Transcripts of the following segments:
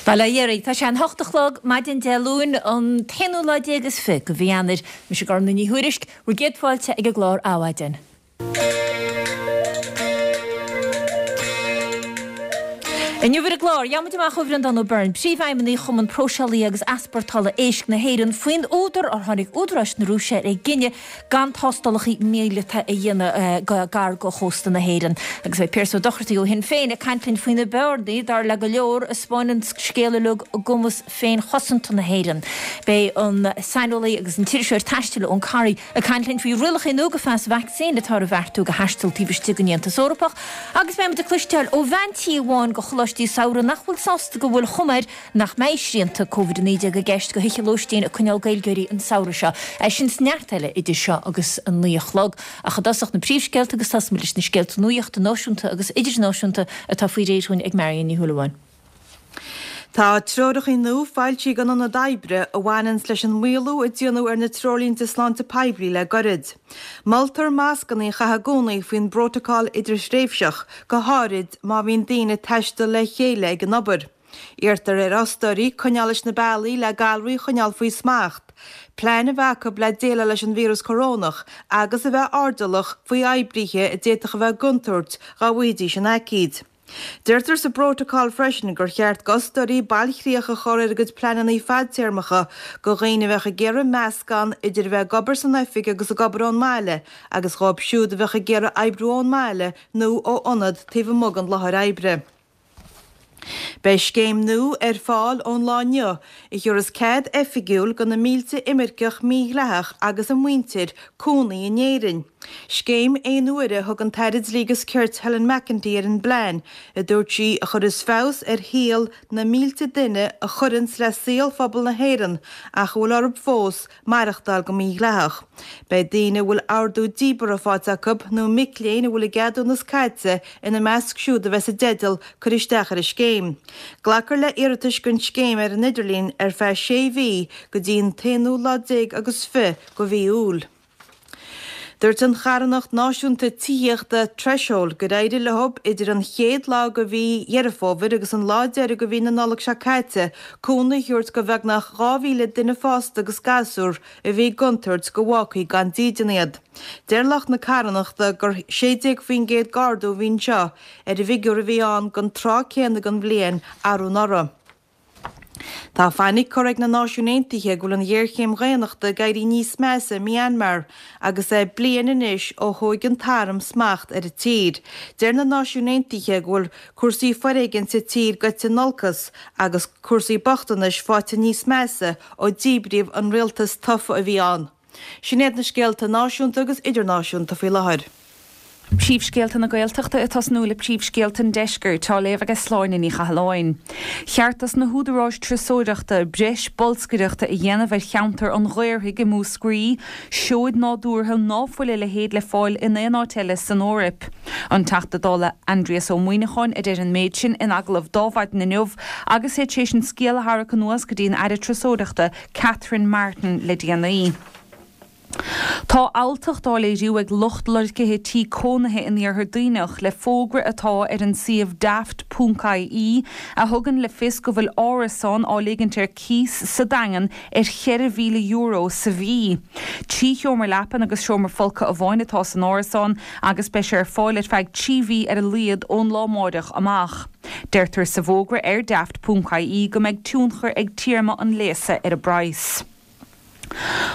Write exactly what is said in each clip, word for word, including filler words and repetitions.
Bhuel, a Dhéaraí, tá sé an hocht a chlog maidin Dé Luain, an t-aonú lá déag is fiche de mhí Eanáir. Mise Gormfhlaith Ní Thuairisg, bhur gcéad fáilte ag an gclár Adhmhaidin. Inniu ar an gclár, gheobhaimid amach ó Bhreandán Ó Beirn, Príomhfheidhmeannaigh Chumann Próiseálaithe agus Easpórtála Éisc na hÉireann, faoin údar ar tháinig údaráis na Rúise ar an gcinneadh gan tástálacha míleata a dhéanamh gar do chósta na hÉireann. Agus beidh Pearse Ó Dochartaigh ó Shinn Féin ag caint linn faoi na bearnaí, dar le go leor, a 'spáineann an scéal uilig i gcumas féinchosanta na hÉireann. Beidh an saineolaí agus an t-iriseoir taistil Eoin Corry ag caint linn faoi rialacha nua do phas vacsaíne atá ar bheartú do thaisteal taobh istigh den Aontas Eorpach. Agus beidh muid ag cloisteáil ó bhean tí amháin de choláistí samhraidh nach bhfuil sásta go bhfuil chuma air nach mbeidh srianta Covid a naoi déag i gceist do thithe lóistín ag coinneáil Gaeilgeoirí an samhradh seo. É sin is neart eile idir seo agus a naoi a chlog. Ach i dtosach na príomhscéalta agus tosóimid leis na scéalta nuachta náisiúnta agus idirnáisiúnta atá faoi réir dhúinn ag Marion Ní Shúilleabháin. Tá treoracha nua foilsithe ag an Ionad Oibre a bhaineanns leis an maolú a déanadh ar na treoirlínte sláinte poiblí le goirid. Moltar mascanna a chaitheamh i gcónaí faoin bprótacal idirthréimhseach, go háirid má bhíonn daoine ag taisteal le chéile ag an obair. Iarrtar ar fhostóirí coinneáil leis na bealaí le galraí a choinneáil faoi smacht, plean a bheith acu le déileáil leis an víreas corónach agus a bheith airdeallach faoi oibrithe a d'fhéadfadh a bheith i gcontúirt dá bhfaighidís an aicíd. Deirtear sa bprótacal freisin gur cheart d'fhostóirí bailchríoch a chur ar a gcuid pleananna fadtéarmacha do dhaoine a bheadh ag iarraidh meascán idir a bheith ag obair san oifig agus ag obair ón mbaile agus dhóibh siúd a bheadh ag iarraidh oibriú ón mbaile nó ó ionad taobh amuigh den láthair oibre. Beidh scéim nua ar fáil ón lá inniu a thabharfas cead oifigiúil do na mílte imirceach mídhleathach agus a muintir cónaí in Éirinn. Scéim aon uaire a thug an tAire Dlí agus Cirt Helen McEntee ar an bplean, a dúirt sí, a chuirfeas feabhas ar shaol na mílte duine a chuireanns le saol phobal na hÉireann ach a bhfuil orthu fós maireachtáil go mídhleathach. Beidh daoine a bhfuil ordú díbeartha faighte acu nó mic léinn a bhfuil a gceadúnas caite ina measc siúd a bheas i dteideal cur isteach ar an scéim. Glacfar le iarratais don scéim ar an idirlíon ar feadh sé mhí go dtí an t-aonú lá déag agus fiche de mhí Iúil. Dúirt an charthanacht náisiúnta tithíochta Threshold gur éirigh leo idir an chéad lá de mhí Dheireadh Fómhair agus an lá deiridh de mhí na Nollag seo caite cúnamh a thabhairt do bheagnach dhá mhíle duine fásta agus gasúr a bhí i gcontúirt go bhfágfaí gan dídean iad. Deir lucht na carthanachta gur sé déag faoin gcéad d'ardú a bhí anseo ar an bhfigiúr a bhí ann don tráth céanna den bhliain arú anuraidh. Tá fainic curtha ag na Náisiúin Aontaithe go bhfuil an ghéarchéim dhaonnachta ag éirí níos measa i Myanmar agus é bliain anois ó thóig an t-arm smacht ar an tír. Deir na Náisiúin Aontaithe go bhfuil cúrsaí foréigin sa tír goite in olcas agus cúrsaí bochtanais faighte níos measa ó díbríodh an rialtas tofa a bhí ann. Sin iad na scéalta náisiúnta agus idirnáisiúnta faoi láthair. Príomhscéalta na Gaeltachta ag tosnú le príomhscéalta an Deiscirt, á léamh aige Sláine Ní Chathalláin. Cheart dos na húdaráis turasóireachta breis bolscaireachta a dhéanamh ar cheantar an Ghaorthaidh i Múscraí, seoid nádúrtha ná fuil a leithéid le fáil in aon áit eile san Eoraip. An Teachta Dála Aindrias Ó Muimhneacháin a deir an méid sin in agallamh d'Adhmhaidin inniu agus é tar éis an scéal a tharrac anuas go dtí an Aire Turasóireachta Catherine Martin le déanaí. Tá alltacht á léiriú ag lucht lorgaithe tí cónaithe in Iarthar Duibhneach le fógra atá ar an suíomh daft ponc ie a thugann le fios go bhfuil árasán á ligint ar cíos sa Daingean ar cheithre mhíle euro sa mhí. Trí sheomra leapan agus seomra folctha amháin atá san árasán agus beidh sé ar fáil ar feadh trí mhí ar a laghad ón lá amáireach amach. Deirtear sa bhfógra ar daft ponc ie go mbeidh tionchar ag téarma an léasa ar an bpraghas.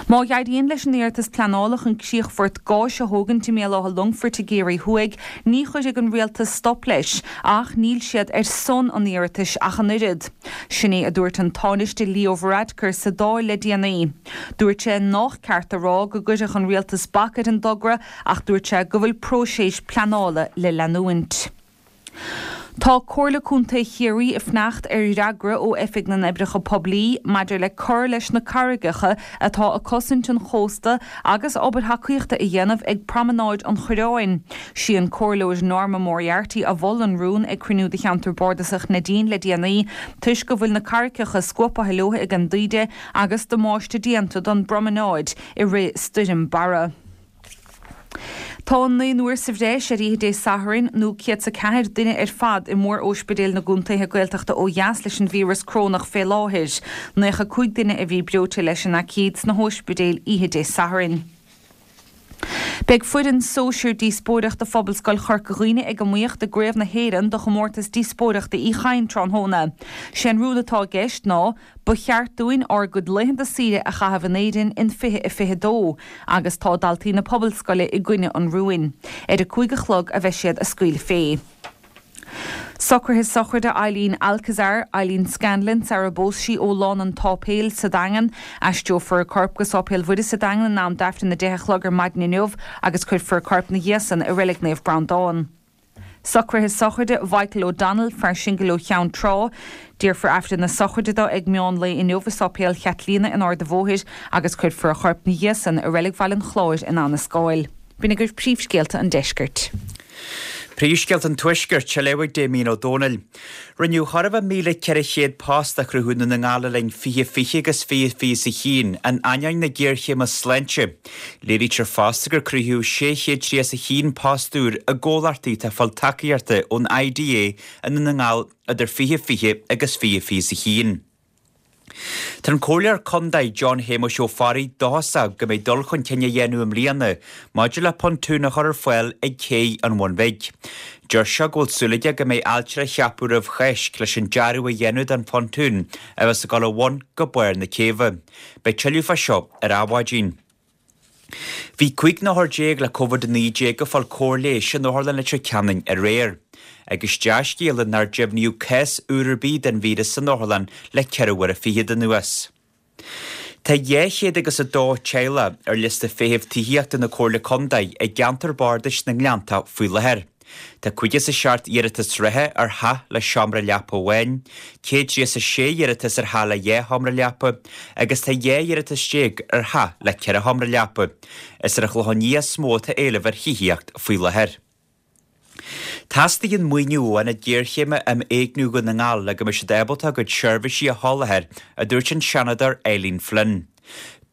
Má éiríonn leis an iarratas pleanála chun críochfort gáis a thógaint i mBéal Átha Longfoirt i gCiarraí Thuaidh, ní chuirfidh an rialtas stop leis, ach níl siad ar son an iarratais ach an oiread. Sin é a dúirt an Tánaiste Leo Varadkar sa Dáil le déanaí. Dúirt sé nách ceart a rá go gcuirfeadh an rialtas bac ar an dtogra ach dúirt sé go bhfuil próiseas pleanála le leanúint. Tá Comhairle Contae Chiarraí ag fanacht ar fhreagra ó Oifig na nOibreacha Poiblí maidir le cur leis na carraigeacha atá ag cosaint an chósta agus obair thacaíochta a dhéanamh ag Promanáid an Choireáin. Sí an Comhairleoir Norma Moriarty a mhol an rún ag cruinniú de Cheantar Bardasach Neidín le déanaí toisc go bhfuil na carraigeacha scuabtha leo ag an dtaoide agus damáiste déanta don bpromanáid i rith Stoirm Barra. Tá naonúr sa bhreis ar oíche Dé Sathairn nó céad is a ceathair duine ar fad i mór-óispidéil na gcontaetha Gaeltachta ó dheas leis an víreas corónach fé láthair. Naocha cúig duine a bhí breoite leis an aicíd sna hóispidéil oíche Dé Sathairn. Beidh foireann sóisir díospóireachta Phobalscoil Chorca Dhuibhne ag iomaíocht i gCraobh na hÉireann do chomórtas díospóireachta Uí Chadhain tráthnóna. Sé an rún atá i gceist ná, Ba cheart dúinn ár gcuid laethanta saoire a chaitheamh in Éirinn in fiche a fiche dó, agus tá daltaí na Pobalscoile i gcoinne an rúin. Ar a cúig a chlog a bheidh siad ag scaoileadh fé. Socruithe sochraide Eileen Alcazar, Eileen Scanlon, sar a bpós sí ó Lána an tSáipéil sa Daingean. Aistreofar a corp go Sáipéal Mhuire sa Daingean in am d'Aifreann a deich a chlog ar maidin inniu agus cuirfear a corp 'na dhiaidh san i Reilig Naomh Breandán. Socruithe sochraide Mhichael O'Donnell, fear singil ó Cheann Trá. Déarfar Aifreann na sochraide dó ag meán lae inniu i Sáipéal Chaitlíona in Ard a' Bhóthair agus cuirfear a chorp 'na dhiaidh san i Reilig Bhaile an Chláir in Abhainn an Scáil. B'in agaibh príomhscéalta an deiscirt. Príomhscéalta an Tuaiscirt, á léamh ag Damien Ó Dónaill. Rinneadh chóir a bheith míle ceithre chéad post a chruthú i nDún na nGall le linn fiche fiche agus fiche fiche a haon, in ainneoin na géarchéime sláinte. Léirítear fosta gur cruthaíodh sé chéad tríocha a haon post úr i gcomhlachtaí atá ag fáil tacaíochta ón IDA i nDún na nGall idir fiche fiche agus fiche fiche a haon. Tá an Comhairleoir Contae John Shéamuis Ó Fearraigh dóchasach go mbeidh dul chun cinn á dhéanamh i mbliana maidir le pontún a chur ar fáil ag Cé an Bhun Bhig. Deir sé go bhfuil súil aige go mbeidh ailtire á cheapadh roimh Cháisc leis an dearadh a dhéanamh don phontún a bheas ag dul ó bhun go barr na céibhe. Beidh tuilleadh fá seo ar Adhmhaidin. Bhí cúig n-othar déag le Covid a naoi déag ag fáil cóir leighis in Otharlann Leitir Ceanainn aréir. Agus dea-scéala nár deimhníodh cás úr ar bith den víreas san otharlann le ceithre huaire fichead anuas. Tá dhá chéad agus a dó teaghlach ar liosta feithimh tithíochta na Comhairle Contae i gceantar bardais na nGleanntach faoi láthair. Tá caoga is a seacht iarratas reatha ar theach le seomra leapa amháin, céad tríocha a sé iarratas ar theach le dhá sheomra leapa agus tá dhá iarratas déag ar theach le ceithre sheomra leapa. Is ar an Chlochán Liath is mó atá éileamh ar thithíocht faoi láthair. Teastaíonn maoiniú ó Ionad Géarchéime um Éigniú Dhún na nGall le go mbeidh siad ábalta a gcuid seirbhísí a sholáthar, a dúirt an Seanadóir Eileen Flynn.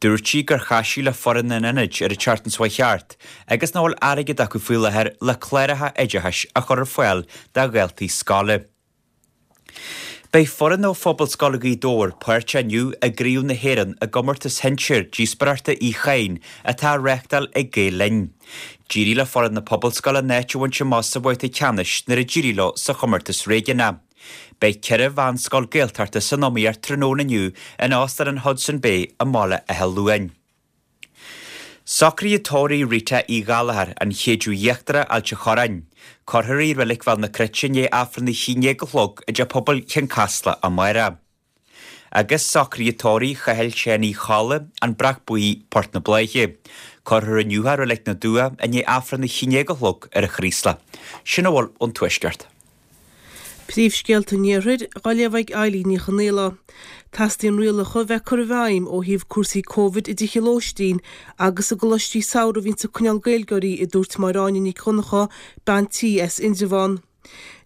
Dúirt sí gur chas sí le foireann an ionaid ar an tseachtain seo thart agus nach bhfuil airgead acu faoi láthair le cláracha oideachais a chur ar fáil do dhaltaí scoile. Beidh foireann ó Phobalscoil Ghaoth Dobhair páirteach inniu i gCraobh na hÉireann i gcomórtas shinsir díospóireachta Uí Chadhain atá á reáchtáil ag Gael Linn. D'éirigh le foireann na Pobalscoile a n-áit a bhaint amach sa bhabhta ceannais nuair a d'éirigh leo sa chomórtas réigiúnach. Beidh ceithre mheánscoil Gaeltachta san iomaíocht tráthnóna inniu in Óstán an Hodson Bay i mBaile Átha Luain. Socruithe tórraimh Rita Uí Ghallchóir, an Chéideadh Íochtarach, Ailt an Chorráin. Cuirfear í i Reilig Bhéal na Cruite i ndiaidh Aifreann a haon déag a chlog i dTeach Pobail Chionn Caslach amárach. Agus socruithe tórraimh Chathail Sheáin Uí Cholla, An Breac Buí, Port na Bláiche. Cuirfear inniu é i Reilig na dTuath i ndiaidh Aifreann a haon déag a chlog ar an Chraoslach. Sin a bhfuil ón Tuaisceart. Príomhscéalta an Iarthair, á léamh ag Eilín Ní Chonaola. Teastaíonn rialacha a bheith curtha i bhfeidhm ó thaobh cúrsaí Covid i dtithe lóistín agus i gcoláistí samhraidh a bhíonns ag coinneáil Gaeilgeoirí, a dúirt Máire Áine Nic Dhonncha, bean tí as Indreabhán.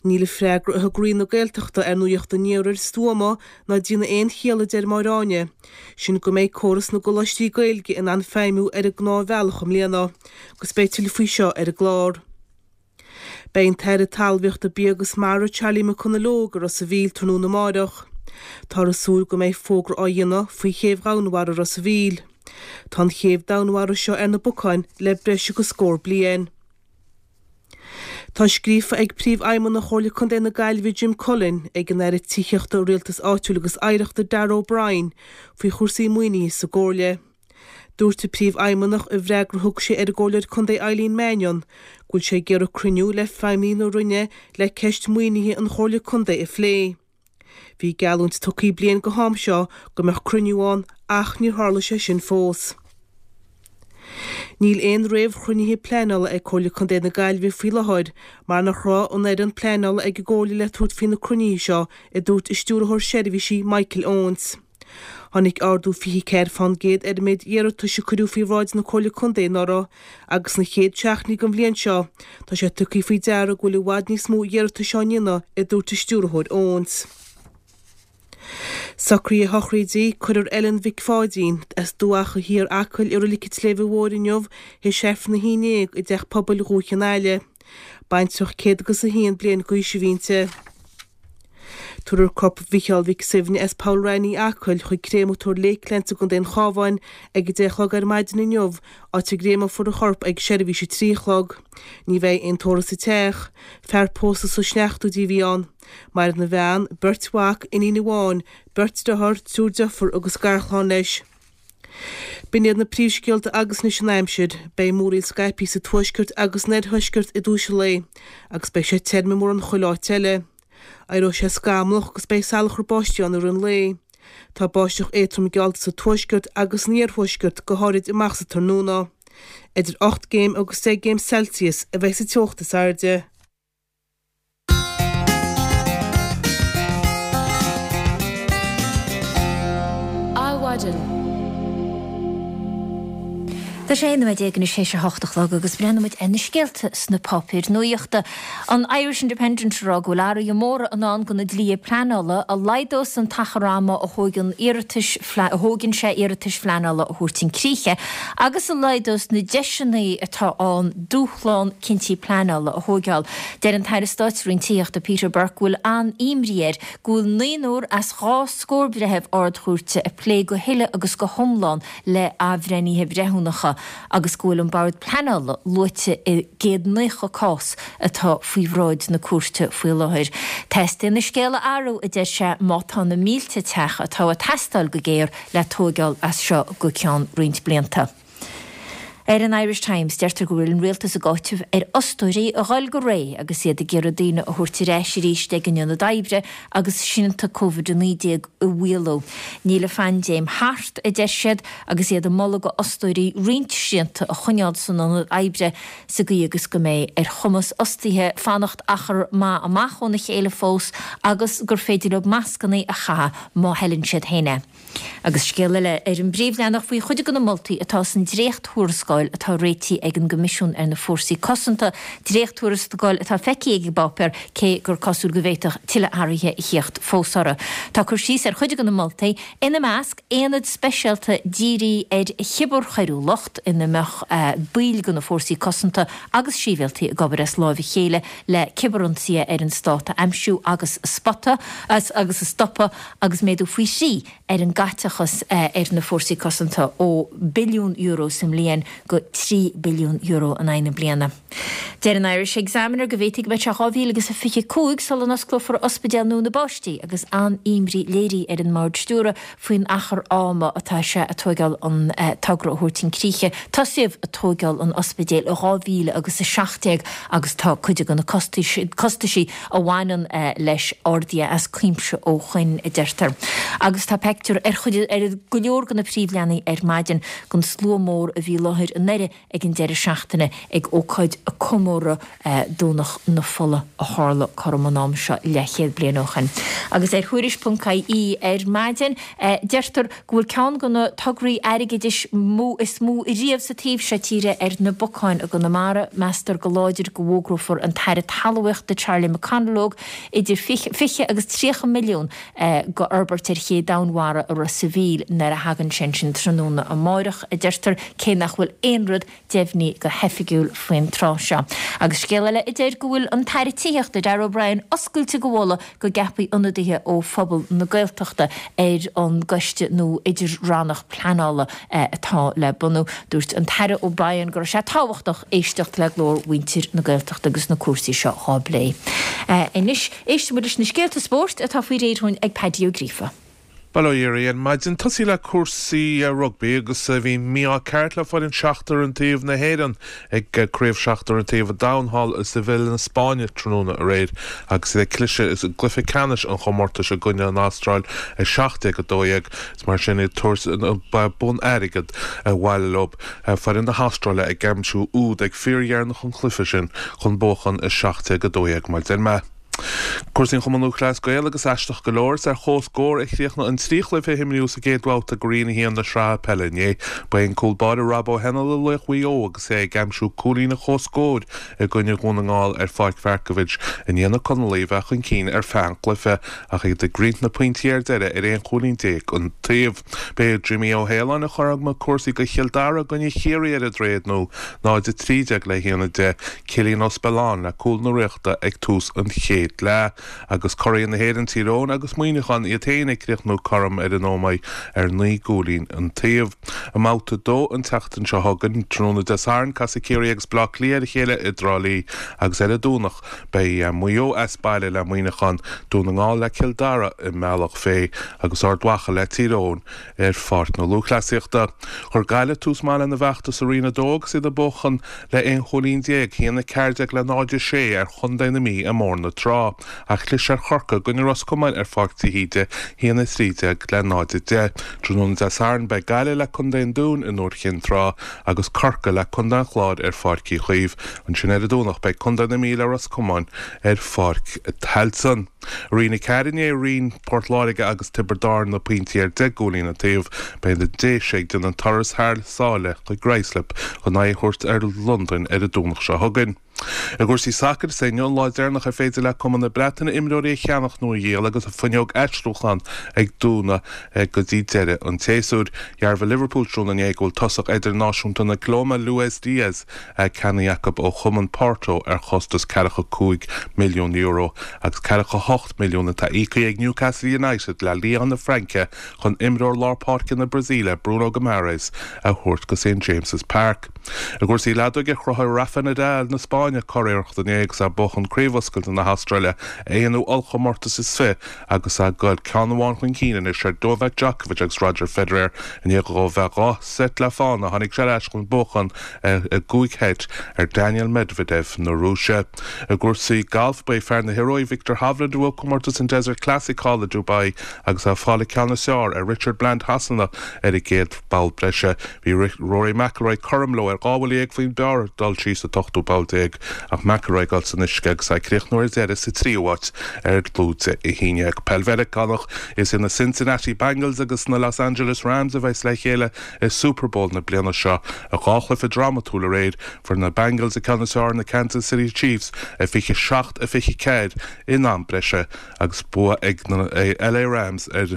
Níl an freagra a thug Roinn na Gaeltachta ar Nuacht an Iarthair stuama ná ag déanamh aon chiall a deir Máire Áine, sin go mbeidh córas na gcoláistí Gaeilge in ann feidhmiú ar an ngnáthbhealach i mbliana, agus beidh tuilleadh faoi seo ar an gclár. Beidh an tAire Talmhaíochta, Bia agus Mara Charlie McConalogue i Ros a' Mhíl tráthnóna amáireach. Táthar ag súil go mbeidh fógra á dhéanamh faoi chéibh dhomhainmhara Ros a' Mhíl. Tá an chéibh domhainmhara seo ar na bacáin le breis agus scór bliain. Tá scríofa ag Príomhfheidhmeannach Chomhairle Contae na Gaillimhe Jim Cullen ag an Aire Tithíochta, Rialtais Áitiúil agus Oidhreachta Darragh O'Brien faoi chúrsaí maoinithe sa gComhairle. Dúirt an Príomhfheidhmeannach i bhfreagra a thug sé ar an gComhairleoir Contae Eileen Mannion go bhfuil sé ag iarraidh cruinniú le feidhmeannaigh na Roinne le ceist maoinithe an Chomhairle Contae a phlé. Bhí geallúint tugtha bliain go ham seo go mbeadh cruinniú ann ach níor tharla sé sin fós. Níl aon réamhchruinnithe pleanála ag Comhairle Contae na Gaillimhe faoi láthair mar nach raibh an fhoireann pleanála ag an gComhairle le tabhairt faoi na cruinnithe seo, a dúirt a Stiúrthóir Seirbhísí Michael Owens. Tháinig ardú fiche ceathair fán gcéad ar an méid iarratais a cuireadh faoi bhráid na Comhairle Contae anuraidh agus sna chéad seachtainí den bhliain seo tá sé tugtha faoi deara go bhfuil i bhfad níos mó iarratais á ndéanamh, a dúirt an Stiúrthóir Owens. Socruithe sochraide, Cuirfear Ellen Mhic Pháidín, as Dumhach Thiar, Acaill i Reilig an tSléibhe Mhóir inniu théis Aifreann a haon déag i dTeach Pobail Dhúiche an Aille. Baintreach céad agus a haon bliain d'aois a bhí inti. Tabharfar corp Mhicheál Mhic Suibhne as Poll Raithní, Acaill chuig Créamatóir Lakelands i gContae an Chabháin ag a deich a chlog ar maidin inniu, áit a gcréamófar a chorp ag seirbhís a trí a chlog. Ní bheidh aon tórramh sa teach. Fear pósta sna seachtóidí a bhí ann. Maireann a bhean, beirt mhac, iníon amháin, beirt dearthár, triúr deirfiúr agus garchlann leis. B'in iad na príomhscéalta agus anois an aimsir. Beidh múraíl scaipthe sa tuaisceart agus san oirthuaisceart i dtús an lae agus beidh sé tirim i mórán chuile áit eile. Éireoidh sé scamallach agus beidh salachar báistí ann i rith an lae. Tá báisteach éadtrom geallta sa tuaisceart agus san iarthuaisceart, go háirid amach sa tráthnóna. Idir ocht gcéim agus deich gcéim Celsius a bheidh sa teocht is airde. Adhmhaidin. Tá sé aon nóiméad déag anois théis a hocht a chlog agus breathnóimid ar na scéalta sna páipéir nuachta. An Irish Independent ag rá go bhfuil athruithe móra i ndán do na dlíthe pleanála a laghdós an t-achar ama a thógann iarratais a thógann sé iarratais phleanála a thabhairt chun críche agus a laghdós na deiseanna atá ann dúshlán cinntí pleanála a thógáil. Deir an tAire Stáit sa Roinn Tithíochta Peter Burke go bhfuil an-imní air go bhfuil naonúr as dhá scór breitheamh Ard-Chúirte ag plé go huile agus go hiomlán le athbhreithnithe breithiúnacha agus go bhfuil an Bord Pleanála luaite i gcéad naocha cás atá faoi bhráid na cúirte faoi láthair. Teastaíonn an scéal a athrú, a deir sé, má tá na mílte teach atá ag teastáil go géar le tóigeáil as seo go ceann roinnt blianta. Ar an Irish Times, deirtear go bhfuil an rialtas ag áiteamh ar fhostóirí a dhul go réidh agus iad ag iarraidh daoine a thabhairt ar ais arís ag an ionad oibre agus srianta Covid a naoi déag a mhaolú. Níl an phaindéim thart, a deir siad, agus iad ag moladh do fhostóirí roinnt srianta a choinneáil san ionad oibre sa gcaoi agus go mbeidh ar chumas fhostaithe fanacht achar maith amach óna chéile fós agus gur féidir leo mascanna a chaitheamh má thoileann siad féin é. Agus scéal eile ar an bpríomhleathanach faoi chuid de na moltaí atá san dréacht-thuarascáil atá réitithe ag an gCoimisiún ar na Fórsaí Cosanta, dréacht-thuarascáil atá feicthe ag an bpáipéar cé gur cosúil go bhféadfadh tuilleadh athruithe a theacht fós orthu. Tá cur síos ar chuid de na moltaí, ina measc, aonad speisialta dírithe ar chibearchoiriúlacht ina mbeadh baill de na Fórsaí Cosanta agus sibhialtaigh ag obair as láimh a chéile le cibirionsaithe ar an stát a aimsiú agus a spotada agus a stopadh agus méadú faoi thrí ar an gcaiteachas ar na Fórsaí Cosanta ó billiún euro sa mbliain go trí billiún euro in aghaidh na bliana. Deir an Irish Examiner go bhféadfaidh go mbeidh sé dhá mhíle agus a fiche cúig sula n-osclófar ospidéal nua na bpáistí agus an-imní léirithe ar an mBord Stiúrtha faoin achar ama atá sé ag tóigeáil an togra a thabhairt chun críche. Tosaíodh ag tóigeáil an ospidéil i dhá mhíle agus a seacht déag agus tá cuid de na costaisí a bhaineann leis ardaithe as cuimse ó shoin, a deirtear. Agus tá peictiúr ar chuid ar go leor de na príomhleathanaigh ar maidin den slua mór a bhí i láthair i nDoire ag an deireadh seachtaine ag ócáid comóradh Domhnach na Fola a tharla cothrom an am seo leathchéad bliain ó shin. Agus ar Thuairisc ponc ie ar maidin deirtear go bhfuil ceann de na tograí airgeadais is mó riamh sa taobh seo tíre ar na bacáin i gConamara. Meastar go láidir go bhfógrófar an tAire Talmhaíochta Charlie McConalogue idir fiche agus tríocha milliún go fhorbairt ar ché domhainmhara i Ros a' Mhíl nuair a thagann sé ansin tráthnóna amáireach, a deirtear, cé nach bhfuil aon rud deimhnithe go hoifigiúil faoin tráth seo. Agus scéal eile a deir go bhfuil an tAire Tithíochta, Darragh O'Brien, oscailte go mholadh go gceapfaí ionadaithe ó phobal na Gaeltachta ar an gcoiste nua idir-rannach pleanála atá le bunú. Dúirt an tAire O'Brien go raibh sé tábhachtach éisteacht le glór mhuintir na Gaeltachta agus na cúrsaí seo á bplé. Anois, éistfidh muid leis na scéalta spóirt atá faoi réir dhúinn ag Paddy Ó Gríofa. Bail ó Dhia oraibh ar maidin. Tosaí le cúrsaí rugbaí agus bhí mí-ádh ceart le foireann seachtar an taobh na hÉireann ag Craobh Seachtar an Taobh an Domhain thall i Seville na Spáinne tráthnóna aréir agus iad ag cliseadh i gcluiche ceannais an chomórtais i gcoinne an Astráil a seacht déag a dó dhéag. Is mar sin iad tabhairt an bonn airgid abhaile leo. Foireann na hAstráile ag aimsiú úd ag fíordheireanach an chluiche sin chun buachan a seacht déag a dó dhéag mar deir mé. Cúrsaí an Chumann Lúthchleas Gael agus aisteach go leor, is ar comhscór a chríochnaigh an trí chluiche a imríodh sa gcéad bhabhta de Roinn a haon na sraithe peile inné. Ba é an cúl báire Rob Ó hEanail laoch Mhaigh Eo agus é ag aimsiú cúilín an chomhscóir i gcoinne Dhún na nGall ar Pháirc Mharkievicz i ndiaidh na Conallaigh a bheith chun cinn ar feadh an chluiche ach iad ag roinnt na pointí ar deireadh ar aon chúilín déag an taobh. Ba é Jimmy Ó hAoláin a chothromaigh cúrsaí do Chill Dara i gcoinne Chiarraí ar an Droichead Nua, náid a trí déag le haon a deich, Cillian Ó Spealáin le cúl na Ríochta ag tús an chéad leath agus curaidh na hÉireann Tír Eoghain agus Muineachán iad féin ag críochnú cothrom ar an Ómaigh ar naoi gcúilín an taobh. I mbabhta a dó an tseachtain seo chugainn, tráthnóna Dé Sathairn, casfaidh Ciarraí agus Baile Átha Cliath ar a chéile i dTrá Lí agus ar an Domhnach beidh Maigh Eo as baile le Muineachán, Dún na nGall le Cill Dara i mBealach Féich agus Ard Mhacha le Tír Eoghain ar Pháirc na Lúthchleasaíochta. Chuir Gaillimh tús maith lena bhfeachtas i Roinn a dó agus iad ag buachan le aon chúilín déag, a haon a ceathair déag le náid a sé ar Chontae na Mí i mBóthar na Trá, ach chlis ar Chorcaigh i gcoinne Ros Comáin ar Pháirc de hÍde, a haon a trí déag le náid a deich. Tráthnóna Dé Sathairn beidh Gaillimh le Contae an Dúin i nDúiche Chinn Trá agus Corcaigh le Contae an Chláir ar Pháirc Uí Chaoimh. Ansin ar an Domhnach beidh Contae na Mí le Ros Comáin ar Pháirc Tailteann. I Roinn a ceathair inné roinn Port Láirge agus Tiobraid Árann na pointí ar deich gcúilín an taobh. Beidh na Déise ag déanamh an turas thar sáile chuig Ruislip chun aghaidh a thabhairt ar Londain ar an Domhnach seo chugainn. I gcúrsaí sacair, is é inniu an lá deireanach ar féidir le cumainn na Breataine imreoirí a cheannach nó a dhíol agus an fuinneog aistriúcháin ag dúnadh go dtí deireadh an tséasúir. Dhearbhaigh Liverpool tráthnóna inné go bhfuil tosach idirnáisiúnta na Colóibe Luis Diaz ceannaithe acu ó chumann Porto ar chostas ceathracha cúig milliún euro agus ceathracha hocht milliún atá íoctha ag Newcastle United le Lyon na Fraince chun imreoir lár páirce na Brasaíle Bruno Guimaraes a thabhairt go St James's Park. I gcúrsaí leadóige chruthaigh Rafa Nadal na Spáinne curiarracht inné agus é ag buachan Craobh Oscailte na hAstráile, a aonú ollchomórtas is fiche agus é ag goil ceann amháin chun cinn anois ar Novak Djokovic agus Roger Federer. I ndiaidh dó bheith dhá seit le fána tháinig sé ar ais chun buachan i gcúig sheit ar Daniil Medvedev na Rúise. I gcúrsaí gailf ba é fear na hIorua Viktor Hovland a bhuaigh comórtas an Desert Classic thall i Dubai agus é ag fáil an ceann is fearr ar Richard Bland Shasana ar an gcéad bpoll breise. Bhí Rory McIlroy cothrom leo ar dhá bhuille dhéag faoin bpar ag dul síos an t-ochtú poll déag ach McIlroy ag dul san uisce agus é ag críochnú ar deireadh sa tríú háit ar dlúide a haon déag. Peil Mheiriceánach Is iad na Cincinnati Bengals agus na Los Angeles Rams a bheas le chéile i Super Bowl na bliana seo. I dhá chluiche drámatúil aréir, fuair na Bengals an ceann is fearr ar na Kansas City Chiefs, a fiche seacht a fiche ceathair in am breise agus bua ag na L A Rams ar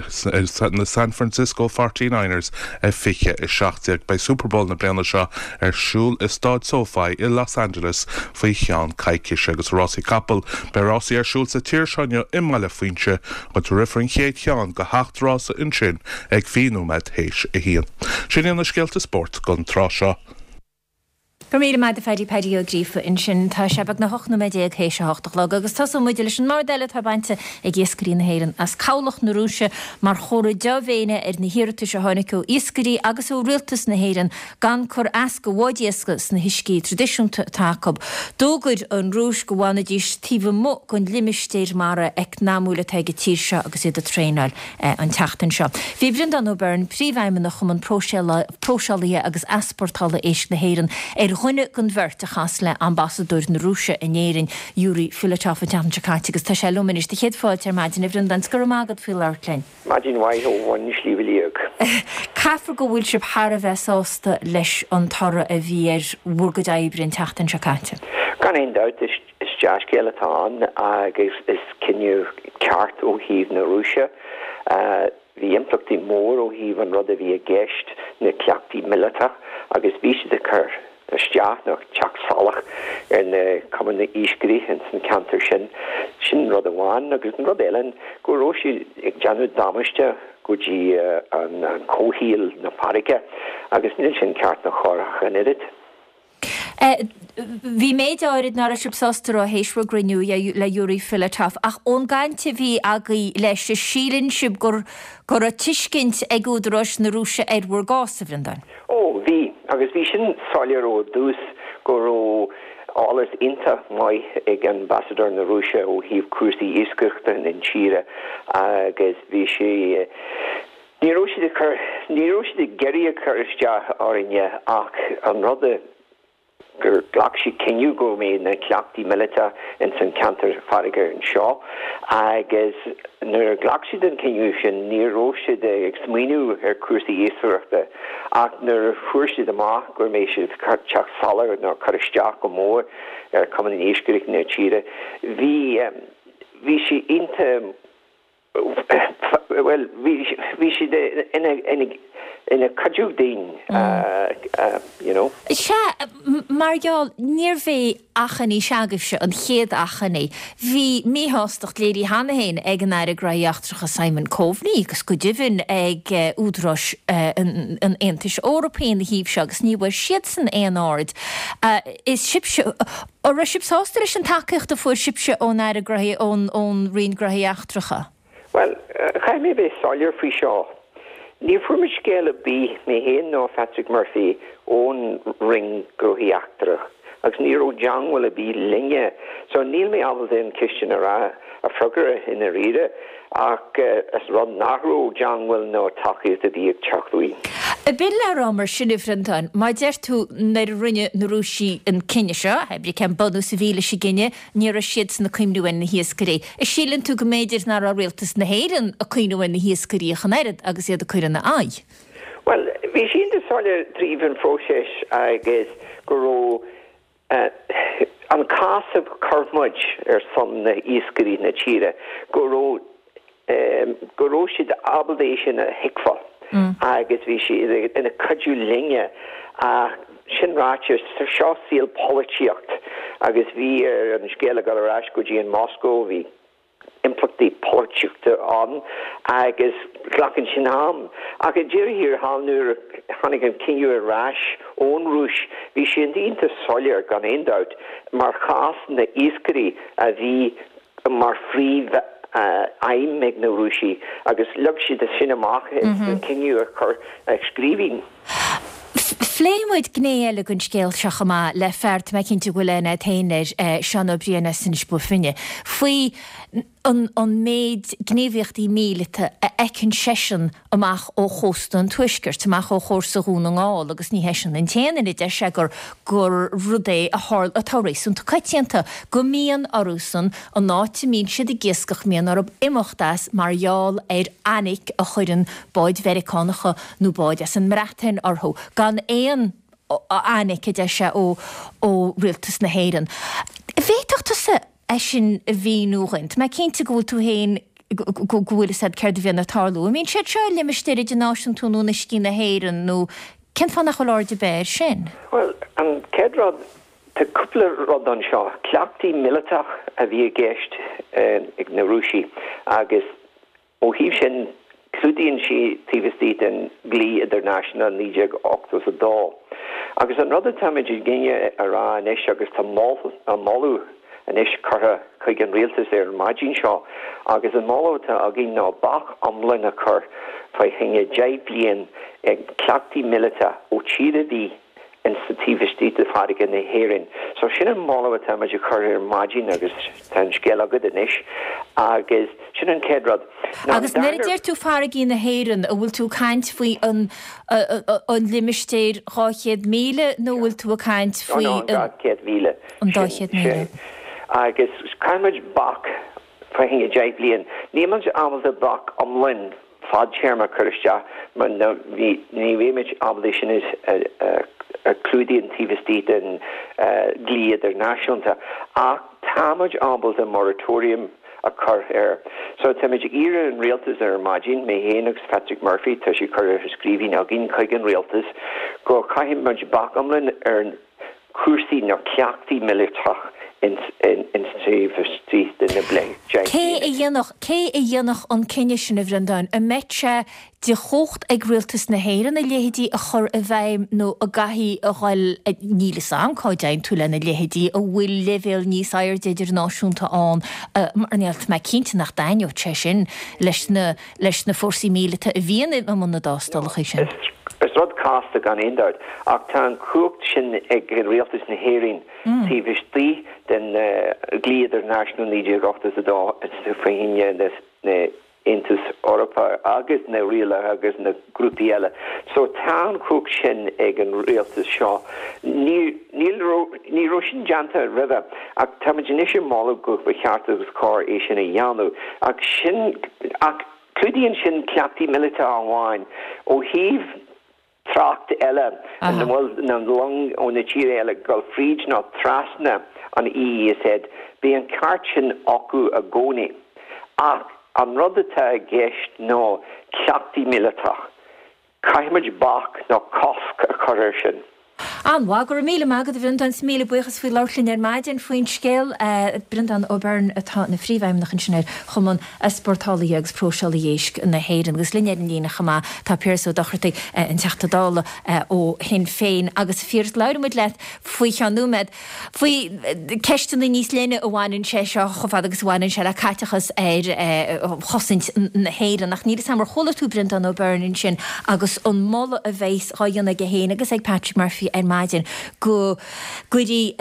na San Francisco Forty Niners a fiche a seacht déag. Beidh Super Bowl na bliana seo ar siúl i Staid SoFi i Los Angeles faoi cheann coicíse agus rásaí capall. Beidh rásaí ar siúl sa tír seo inniu i mBaile Phuinse, áit a rithfear an chéad cheann de sheacht rása ansin ag fiche nóiméad théis a haon. Sin iad na scéalta spóirt don tráth seo. Go raibh míle maith agat a Phaddy Paddy Ó Gríofa ansin. Tá sé beagnach ocht nóiméad déag théis a hocht a chlog agus tosóidh muid leis an mbord eile atá bainte ag iascairí na hÉireann as cabhlach na Rúise mar chomhartha dea-mhéine ar na hiarratais a tháinig ó iascairí agus ó rialtas na hÉireann gan cur as do bháid iascaigh sna huiscí traidisiúnta atá acu. D'fhógair an Rúis go bhfanfaidís taobh amuigh den limistéar mara eacnamúil atá ag an tír seo agus iad ag traenáil an tseachtain seo. Bhí Breandán Ó Beirn, Príomhfheidhmeannach Chumann Próiseálaithe agus Easpórtála Éisc na hÉireann, ar dhuine den bheirt a chas le Ambasadóir na Rúise in Éirinn, Yuri Filatov an tseachtain seo caite agus tá sé liom anois. Do chéad fáilte ar maidin, a Bhreandáin, 's go raibh maith agat faoi labhairt linn. Maidin mhaith ó bhun Shliabh Liag. Caithfear go bhfuil sibh thar a bheith sásta leis an toradh a bhí ar bhur gcuid oibre an tseachtain seo caite. Gan aon dabht is dea-scéal atá ann agus is cinneadh ceart ó thaobh na Rúise. Bhí impleachtaí mór ó thaobh an rud a bhí i gceist, na cleachtaí míleata, agus bhí siad ag cur isteach nó teacht salach ar na cumainn iascairí ins an ceantar sin. Sin rud amháin agus an rud eile go raibh siad ag déanamh damáiste go dtí an comhshaol na farraige agus níl sin ceart ná cóir ach an oiread. Bhí méid áirid nach raibh sibh sásta a rá théis bhur gcruinniú le Yuri Filatov, ach ón gcaint a bhí agaibh leis, síleann sibh go go raibh tuiscint ag údaráis na Rúise ar bhur gcás, a Bhreandáin? Ó, bhí, agus bhí sin soiléir ó dtús go raibh eolas iontach maith ag Ambasadóir na Rúise ó thaobh cúrsaí iascaireachta na tíre agus bhí sé, ní raibh siad ag cur, ní raibh siad ag iarraidh a chur isteach orainne ach an rud a gur ghlac siad cinneadh go mbeidh na cleachtaí míleata ins an ceantar farraige anseo agus nuair a ghlac siad an cinneadh sin ní raibh siad ag smaoineamh ar cúrsaí iascaireachta ach nuair a fuair siad amach go mbeidh siad teacht salach nó cur isteach go mór ar Cumann Iascaireachta na tíre bhí bhí sé iontach bhuel bhí siad ina ina ina cuidiú dúinn you know. Sea, mar gheall, níorbh é achainí s'agaibhse an chéad achainí. Bhí míshástacht léirithe cheana féin ag an Aire Gnóthaí Eachtracha Simon Coveney agus go deimhin ag údaráis an Aontais Eorpaigh ina thaobh seo agus ní bhfuair siadsan aon aird. Is sibhse, an raibh sibh sásta leis an tacaíocht a fuair sibhse ón Aire Gnóthaí, ón Roinn Gnóthaí Eachtracha? Bhuel, caithfidh mé bheith soiléir faoi seo. Ní fuair muid scéal ar bith, mé féin ná Patrick Murphy, ón Roinn Gnóthaí Eachtrach agus ní raibh teagmháil ar bith linne. So níl mé ábalta an ceist sin a rá a freagra i ndáiríre ach is rud nach raibh teagmháil nó tacaíocht ar bith ag teacht uaidh. B'in le rá mar sin, a Bhreandáin, má deir tú nuair a rinne na Rúisigh an cinneadh seo, hé brí cén bunús a bhí leis an gcinneadh, ní raibh siadsan ag cuimhniú ar na hiascairí. An síleann tú go mb'fhéidir nach raibh rialtas na hÉireann ag cuimhniú ar na hiascairí ach an oiread agus iad ag cur ina aghaidh? Bhuel, bhí sé iontach soiléir tríd an phróiseas agus go raibh an cás a chuir muid ar son na iascairí na tíre, go raibh go raibh siad ábalta é sin a thuigbheáil agus bhí siad ina cuidiú linne ach sin ráite, seo saol polaitíocht agus bhí ar an scéal a dhul ar ais go dtí an Moscow, bhí impleachtaí polaitíochta ann agus glacann sin am. Ach i ndeireadh thiar thall nuair a tháinig an cinneadh ar ais ón Rúis bhí sé iontach soiléir gan aon dabht mar chás na iascairí a bhí mar phríomh aidhm ag na Rúisigh agus leag siad sin amach sa cinneadh a chur i scríbhinn. Phléigh muid gné eile den scéal seo chomh maith le fear, tá mé cinnte go bhfuil aithne agat féin air, Seán Ó Briain as Inis Bó Finne, faoi an an méid gníomhaíochtaí míleata a fheiceann seisean amach ó chósta an Tuaiscirt, amach ó chósta Dhún na nGall agus ní heisean an t-aon duine, deir sé gur gur rud é a tharla atá réasúnta coitianta, go mbíonn orthusan an áit a mbíonn siad ag iascach, mbíonn orthu imeacht as mar gheall ar fhainic a chuireann báid Mheiriceánacha nó báid as an mBreatain orthu, gan aon fhainic, a deir sé, ó ó rialtas na hÉireann. Bhféadfadh tusa é sin a mhíniú dhuinn? Tá mé cinnte go bhfuil tú féin go bhfuil fhios agat céard a bhíonn ag tarlú. An mbíonn siad seo i limistéir idirnáisiúnta nó in uiscí na hÉireann nó cén fáth nach bhfuil aird ar bith air sin? Bhuel, an chéad rud, tá cúpla rud anseo. Cleachtaí míleatach a bhí i gceist ag na Rúisigh agus ó thaobh sin, clúdaíonn sí taobh istigh den dlí idirnáisiúnta naoi déag ochtó is a dó. Agus an rud atáimid ag iarraidh a rá anois agus tá moladh anois curtha chuig an rialtas ar an maidin seo agus an moladh atá againn ná bac iomlán a chur fá choinne deich bliain ag cleachtaí míleata ó tír ar bith insa taobh istigh de farraige na hÉireann. So sin an moladh atá muid a chur ar maidin agus tá an scéal agat anois agus sin an chéad rud. Now Agus nuair a deir tú farraigí na hÉireann, an bhfuil tú ag caint faoi an an limistéar dhá chéad míle nó an bhfuil tú ag caint faoi an dá chéad míle. An dá chéad míle. Agus caithfidh muid bac fá choinne deich bliain. Níl muid ábalta bac iomlán fadtéarma a chur isteach mar ní bheimid ábalta sin a chlúdaíonn taobh istigh den dlí idirnáisiúnta ach táimid ábalta moratorium a chur air. So táimid ag iarraidh an rialtas ar maidin, mé féin agus Patrick Murphy, tá sé curtha i scríbhinn againn chuig an rialtas go gcaithfidh muid bac iomlán ar cúrsaí nó cleachtaí míleatach ins taobh istigh de na deich Cé a dhéanfadh, cé a dhéanfadh an cinneadh sin, a Bhreandáin? An mbeadh sé de chumhacht ag Rialtas na hÉireann a leithéidí a chur i bhfeidhm nó an gcaithfidh a dhul, níl fhios a'm cá dtéann tú lena leithéidí, an bhfuil leibhéal níos airde idirnáisiúnta ann mar níl mé cinnte nach dtaitneodh sé sin leis na, leis na fórsaí míleata a bhíonn i mbun na dtástálacha sin. Is rud casta gan aon dabht, ach tá an chumhacht sin ag Rialtas na hÉireann taobh istigh den dlí idirnáisiúnta naoi déag ochtó is a dó faoi choinne na Aontas Eorpach agus na rialacha agus na grúpaí eile. So tá an chumhacht sin ag an rialtas seo. Ní ní raibh sin déanta roimhe ach táimid anois ag moladh go ba cheart agus cóir é sin a dhéanamh ach sin ach clúdaíonn sin cleachtaí míleata amháin ó thaobh trácht eile ina bhfuil na long ó na tíortha eile ag dul fríd nó trasna an EEZ, beidh an ceart sin acu i gcónaí. Ach an rud atá i gceist ná cleachtaí míleatach. Caithfimid bac nó cosc a chur air sin. An-mhaith, go raibh míle maith agat a Bhreandáin, is míle buíochas faoi labhairt linn ar maidin faoin scéal. Breandán Ó Beirn atá ina phríomhfheidhmeannach ansin ar Chumann Easpórtálaithe agus Próiseálaithe Éisc na hÉireann. Agus linn ar an líne chomh maith tá Piaras Ó Dochartaigh, an Teachta Dála ó Shinn Féin. Agus a Phiarais, labhróidh muid leat faoi cheann nóiméad faoi ceisteanna níos leithne a bhaineann sé seo chomh fada agus a bhaineann sé le caiteachas ar chosaint na hÉireann. Ach níl 'fhios a'm ar chuala tú Breandán Ó Beirn ansin agus an moladh a bheas dhá dhéanamh aige féin agus ag Patrick Murphy ar maidin go gcuirfí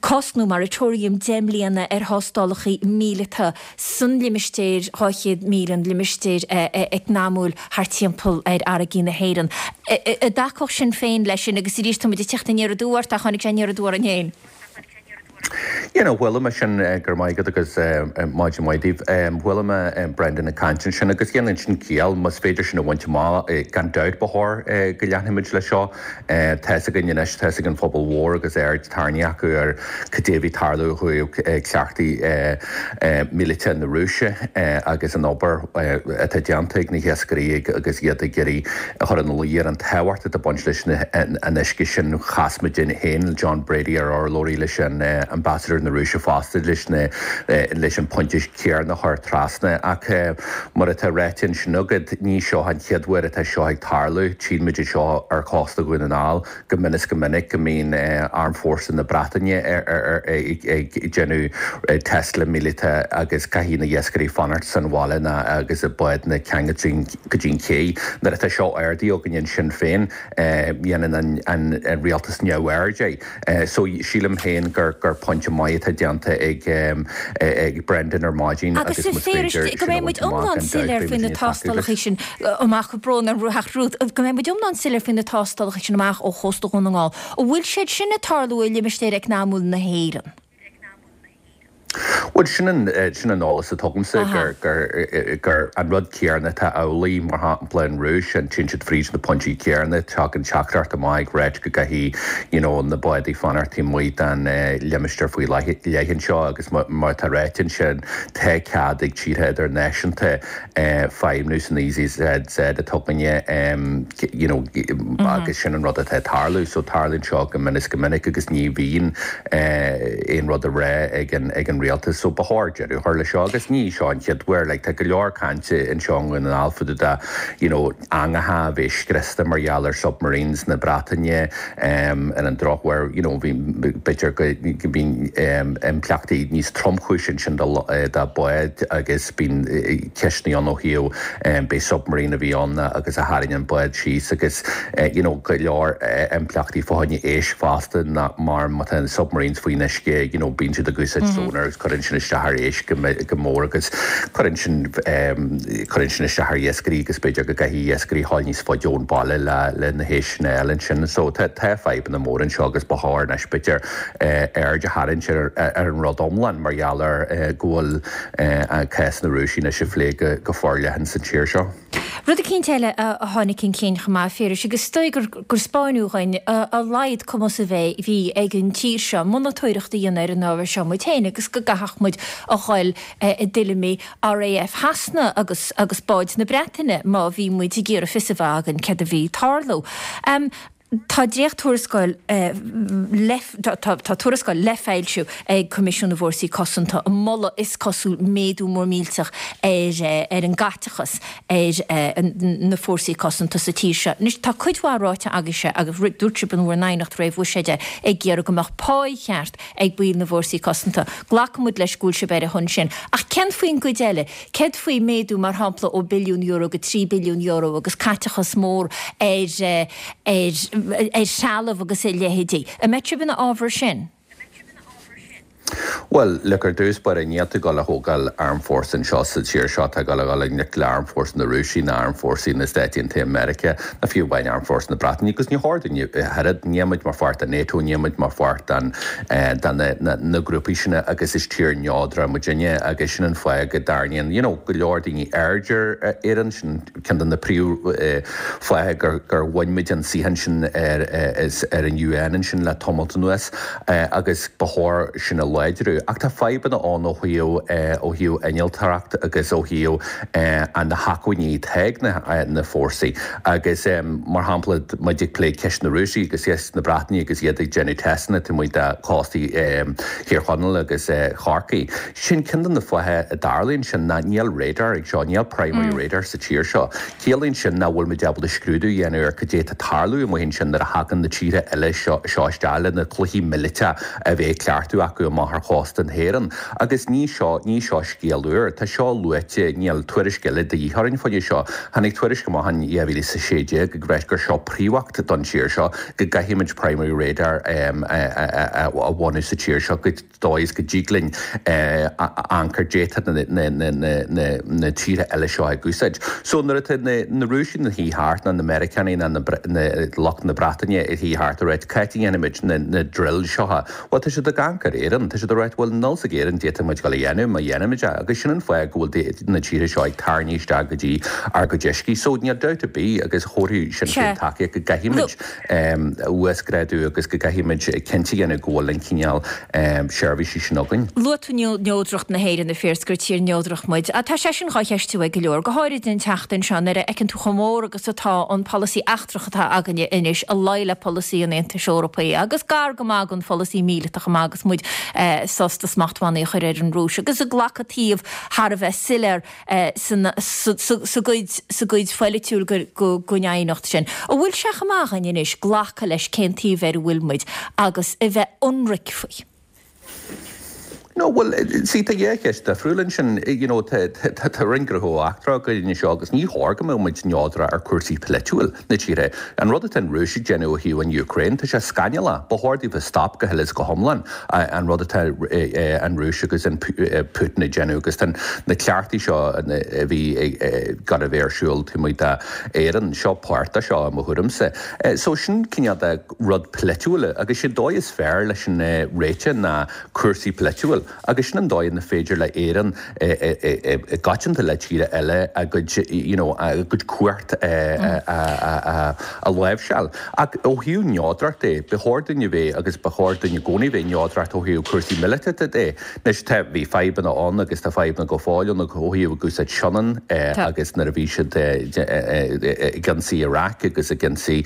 cosc nó moratorium deich mbliana ar thástálacha míleata san limistéar dhá chéad míle, an limistéar eacnamúil thart timpeall ar fharraigí na hÉireann. An dtacódh Sinn Féin leis sin agus arís tá muid ag teacht aniar aduaidh ort ach tháinig sé aniar aduaidh orainn féin. You know, chuala mé sin go raibh maith agat agus maidin mhaith daoibh. Chuala mé Brendan ag caint ansin agus dhéanann sin ciall más féidir sin a bhaint amach gan dabht ba chóir go leanfaimid leis seo. Tá's againn anois, tá's ag an phobal mhór agus aird tarraingthe acu ar cad é a bhí ag tarlú ó thaobh cleachtaí míleata na Rúise agus an obair atá déanta ag na hiascairí agus iad ag iarraidh a chur ina luí ar an tábhacht atá ag baint leis an uisce sin. Chas muid féin, John Brady, ar urlabhraí leis an Ambassador na Rúise fosta leis na leis an pointe céanna a chur trasna ach mar atá ráite ansin agat ní seo an chéad uair atá seo ag tarlú. Tchíonn muid é seo ar chósta Dhún na nGall go mion is go minic go mbíonn armfhórsa na Breataine ag déanamh tástála míleata agus caithfidh na hiascairí fanacht san bhaile ná agus a bádanna ceangailte go dtí an ché. Nuair atá seo ardaithe againn ansin féin dhéanann an rialtas neamhaird é. So sílim féin gur gur pointe maith atá déanta ag ag Brendan ar maidin agus más féidir go mbeidh muid iomlán soiléir faoi na tástálacha sin amach brón orm ach Ruth go mbeidh muid iomlán soiléir faoi na tástálacha sin amach ó chósta Dhún na nGall. An bhfuil siad sin ag tarlú i limistéar eacnamúil na hÉireann? Bhuel sin an sin an eolas atá agamsa gur gur gur an rud céanna atá amhlaidh mar shampla an Rúis an téann siad fríd na pointí céanna tagann teachtaireacht amach ag ráit go gcaithfidh you know na bádaí fanacht taobh amuigh den limistéar faoi leith anseo agus mar atá ráite ansin tá cead ag tíortha idirnáisiúnta feidhmiú san EEZ atá againne you know agus sin an rud atá ag tarlú so tarlaíonn seo go mion is go minic agus ní bhíonn aon rud a rá ag an ag an rialtas so ba chóir deireadh a chur leis seo agus ní seo an chéad uair like tá go leor cainte anseo i nDún na nGall fá dtaobh de you know eangacha a bheith scriosta mar gheall ar submarines na Breataine um, ar an drochuair you know bhí b'fhéidir go go mbíonn um, impleachtaí níos tromchúisí ansin do do báid agus bíonn ceisteanna ann ó thaobh um, b'é submarine a bhí ann agus a tharraing an bád síos agus uh, you know go leor uh, impleachtaí fá choinne éisc fosta ná mar má tá na submarines faoin uisce you know bíonn siad ag úsáid sonar agus cuireann sin isteach ar éisc go mór agus cuireann sin cuireann sin isteach ar iascairí agus b'fhéidir go gcaithfidh iascairí dhul níos faide ón baile le le na héisc sin a fháil ansin. So tá tá fadhbanna móra anseo agus ba chóir anois b'fhéidir aird a tharraingt ar ar an rud iomlán mar gheall ar go bhfuil cás na Rúise anois á phlé go go forleathan sa tír seo. Rud eicínt eile a tháinig chun cinn chomh maith, a Phiarais, agus is dóigh gur gur 'spáineadh dhúinn a laghad cumas a bheith bhí ag an tír seo monatóireacht a dhéanamh ar an ábhar seo muid féin agus go gcaithfeadh muid a dhul i dtuilleamaí RAF Shasana agus agus báid na Breataine má bhí muid ag iarraidh fios a bheith againn céard a bhí ag tarlú. Tá dréacht-tuarascáil le tá tuarascáil le foilsiú ag Coimisiún na bhFórsaí Cosanta ag moladh is cosúil méadú mór millteach ar ar an gcaiteachas ar na fórsaí cosanta sa tír seo. Anois tá cuid mhaith ráite agaibhse agus dúirt sibh in bhur n-aighneacht réamh-bhuiséid é ag iarraidh go mbeadh páí cheart ag baill na bhfórsaí cosanta. Glacaimid leis go bhfuil sibh ar a shon sin. Ach cén faoin gcuid eile? Céard faoi méadú mar shampla ó billiún euro go trí billiún euro agus caiteachas mór ar ar ar threalamh agus a leithéidí. An mbeidh sibh ina fhabhar sin? Bhuel, look, ar dtús báire, níl tú ag dul a thógáil armfhórsa anseo sa tír seo atá ag dul a dhul i ngleic le armfhórsa na Rúise ná armfhórsaí na Stáit Aontaithe Meiriceá ná fiú amháin armfhórsa na Breataine agus ní chóir dúinn a oiread. Níl muid mar pháirt de NATO, níl muid mar pháirt den de na na na grúpaí sin agus is tír neodrach muidinne agus sin an fáth go dtarraingíonn you know go leor daoine aird ar Éirinn, sin ceann de na príomh fátha gur gur bhain muid an suíochán sin ar ar an UN ansin le tamalt anuas agus ba chóir sin a láidriú. Ach tá fadhbanna ann ó thaobh ó thaobh innealtóireacht agus ó thaobh na hacmhainní atá ag na fórsaí agus mar shampla muid ag plé ceist na Rúise agus ceist na Breataine agus iad ag déanamh teisteanna taobh amuigh de chóstaí Thír Chonaill agus Chorcaí. Sin ceann de na fátha a dtarlaíonn sin ná níl radar ag seo, níl primary radar sa tír seo. Ciallaíonn sin nach bhfuil muid ábalta scrúdú a dhéanamh ar cad é atá ag tarlú amuigh ansin nuair a thagann na tíortha eile seo isteach le na cluichí míleata a bheith ag cleachtadh acu amach ar chósta na hÉireann. Agus ní seo, ní seo scéal úr. Tá seo luaite, níl tuairisc eile de dhíth orainn fá seo. Tháinig tuairisc amach in dhá mhíle is a sé déag ag ráit gur seo príomhbhac don tír seo, go gcaithfimid primary radar a bhunú sa tír seo go dóigh is go dtig linn amharc ar cad é atá na tíortha eile seo ag úsáid. So nuair atá na Rúisigh ina shuí thart ná na Meiriceánaigh ná lucht na Breataine ina shuí thart ag ráit cá háit a dhéanfaimid na drills seo, bhuel tá siad ag amharc ar Éirinn, tá siad ag ráit bhuel níl 's ag Éirinn cad é atá muid ag dul a dhéanamh má dhéanaimid é agus sin an fáth go bhfuil na tíortha seo ag tarraingt isteach go dtí ár gcuid uiscí. So níl dabht ar bith agus thabharfadh Sinn Féin tacaíocht go gcaithfimid uasghrádú agus go gcaithfimid cinnte a dhéanamh go bhfuil an cineál seirbhísí sin againn. Luaigh tú neodracht na hÉireann, a Phiarais, gur tír neodrach muid. Tá sé sin dhá cheistiú ag go leor, go háirid an tseachtain seo nuair a fheiceann tú chomh mór agus atá an polasaí eachtrach atá againne anois i luí le polasaí an Aontais Eorpaigh agus gar go maith don pholasaí míleata chomh maith agus muid sásta smachtbhannaí a chur ar an Rúis agus ag glacadh taobh thar a bheith soiléir sa gcuid pholaitiúil den aighneacht sin. An bhfuil sé chomh maith againn anois glacadh leis cén taobh ar a bhfuil muid agus a bheith ionraic faoi? No, bhuel, see, tá dhá cheist difriúil ansin. You know, tá tá Roinn Gnóthaí Eachtracha againn anseo agus ní chóir go mbeadh muid neodrach ar cúrsaí polaitiúil na tíre. An rud atá an Rúis ag déanamh ó thaobh an Ukraine, tá sé scannalach. Ba chóir daofa stop go huile is go hiomlán an rud atá an Rúis agus an Putin ag déanamh agus tá na cleachtaí seo a bhí gan a bheith ar siúl taobh amuigh d'Éirinn, seo páirt de seo i mo thuairimse. So sin cineál de rud polaitiúil agus sé dóigh is fearr leis an réiteach ná cúrsaí polaitiúil agus sin an dóigh ina féidir le Éirinn i gcoitianta le tíortha eile a gcuid you know a gcuid cumhacht a láimhseáil. Ach ó thaobh neodracht de, ba chóir dúinn a bheith agus ba chóir dúinn i gcónaí bheith neodracht ó thaobh cúrsaí míleata de. Anois tá, bhí fadhbanna ann agus tá fadhbanna go fóill ann ó thaobh ag úsáid Sionainn agus nuair a bhí siad ag ionsaí Iraq agus ag ionsaí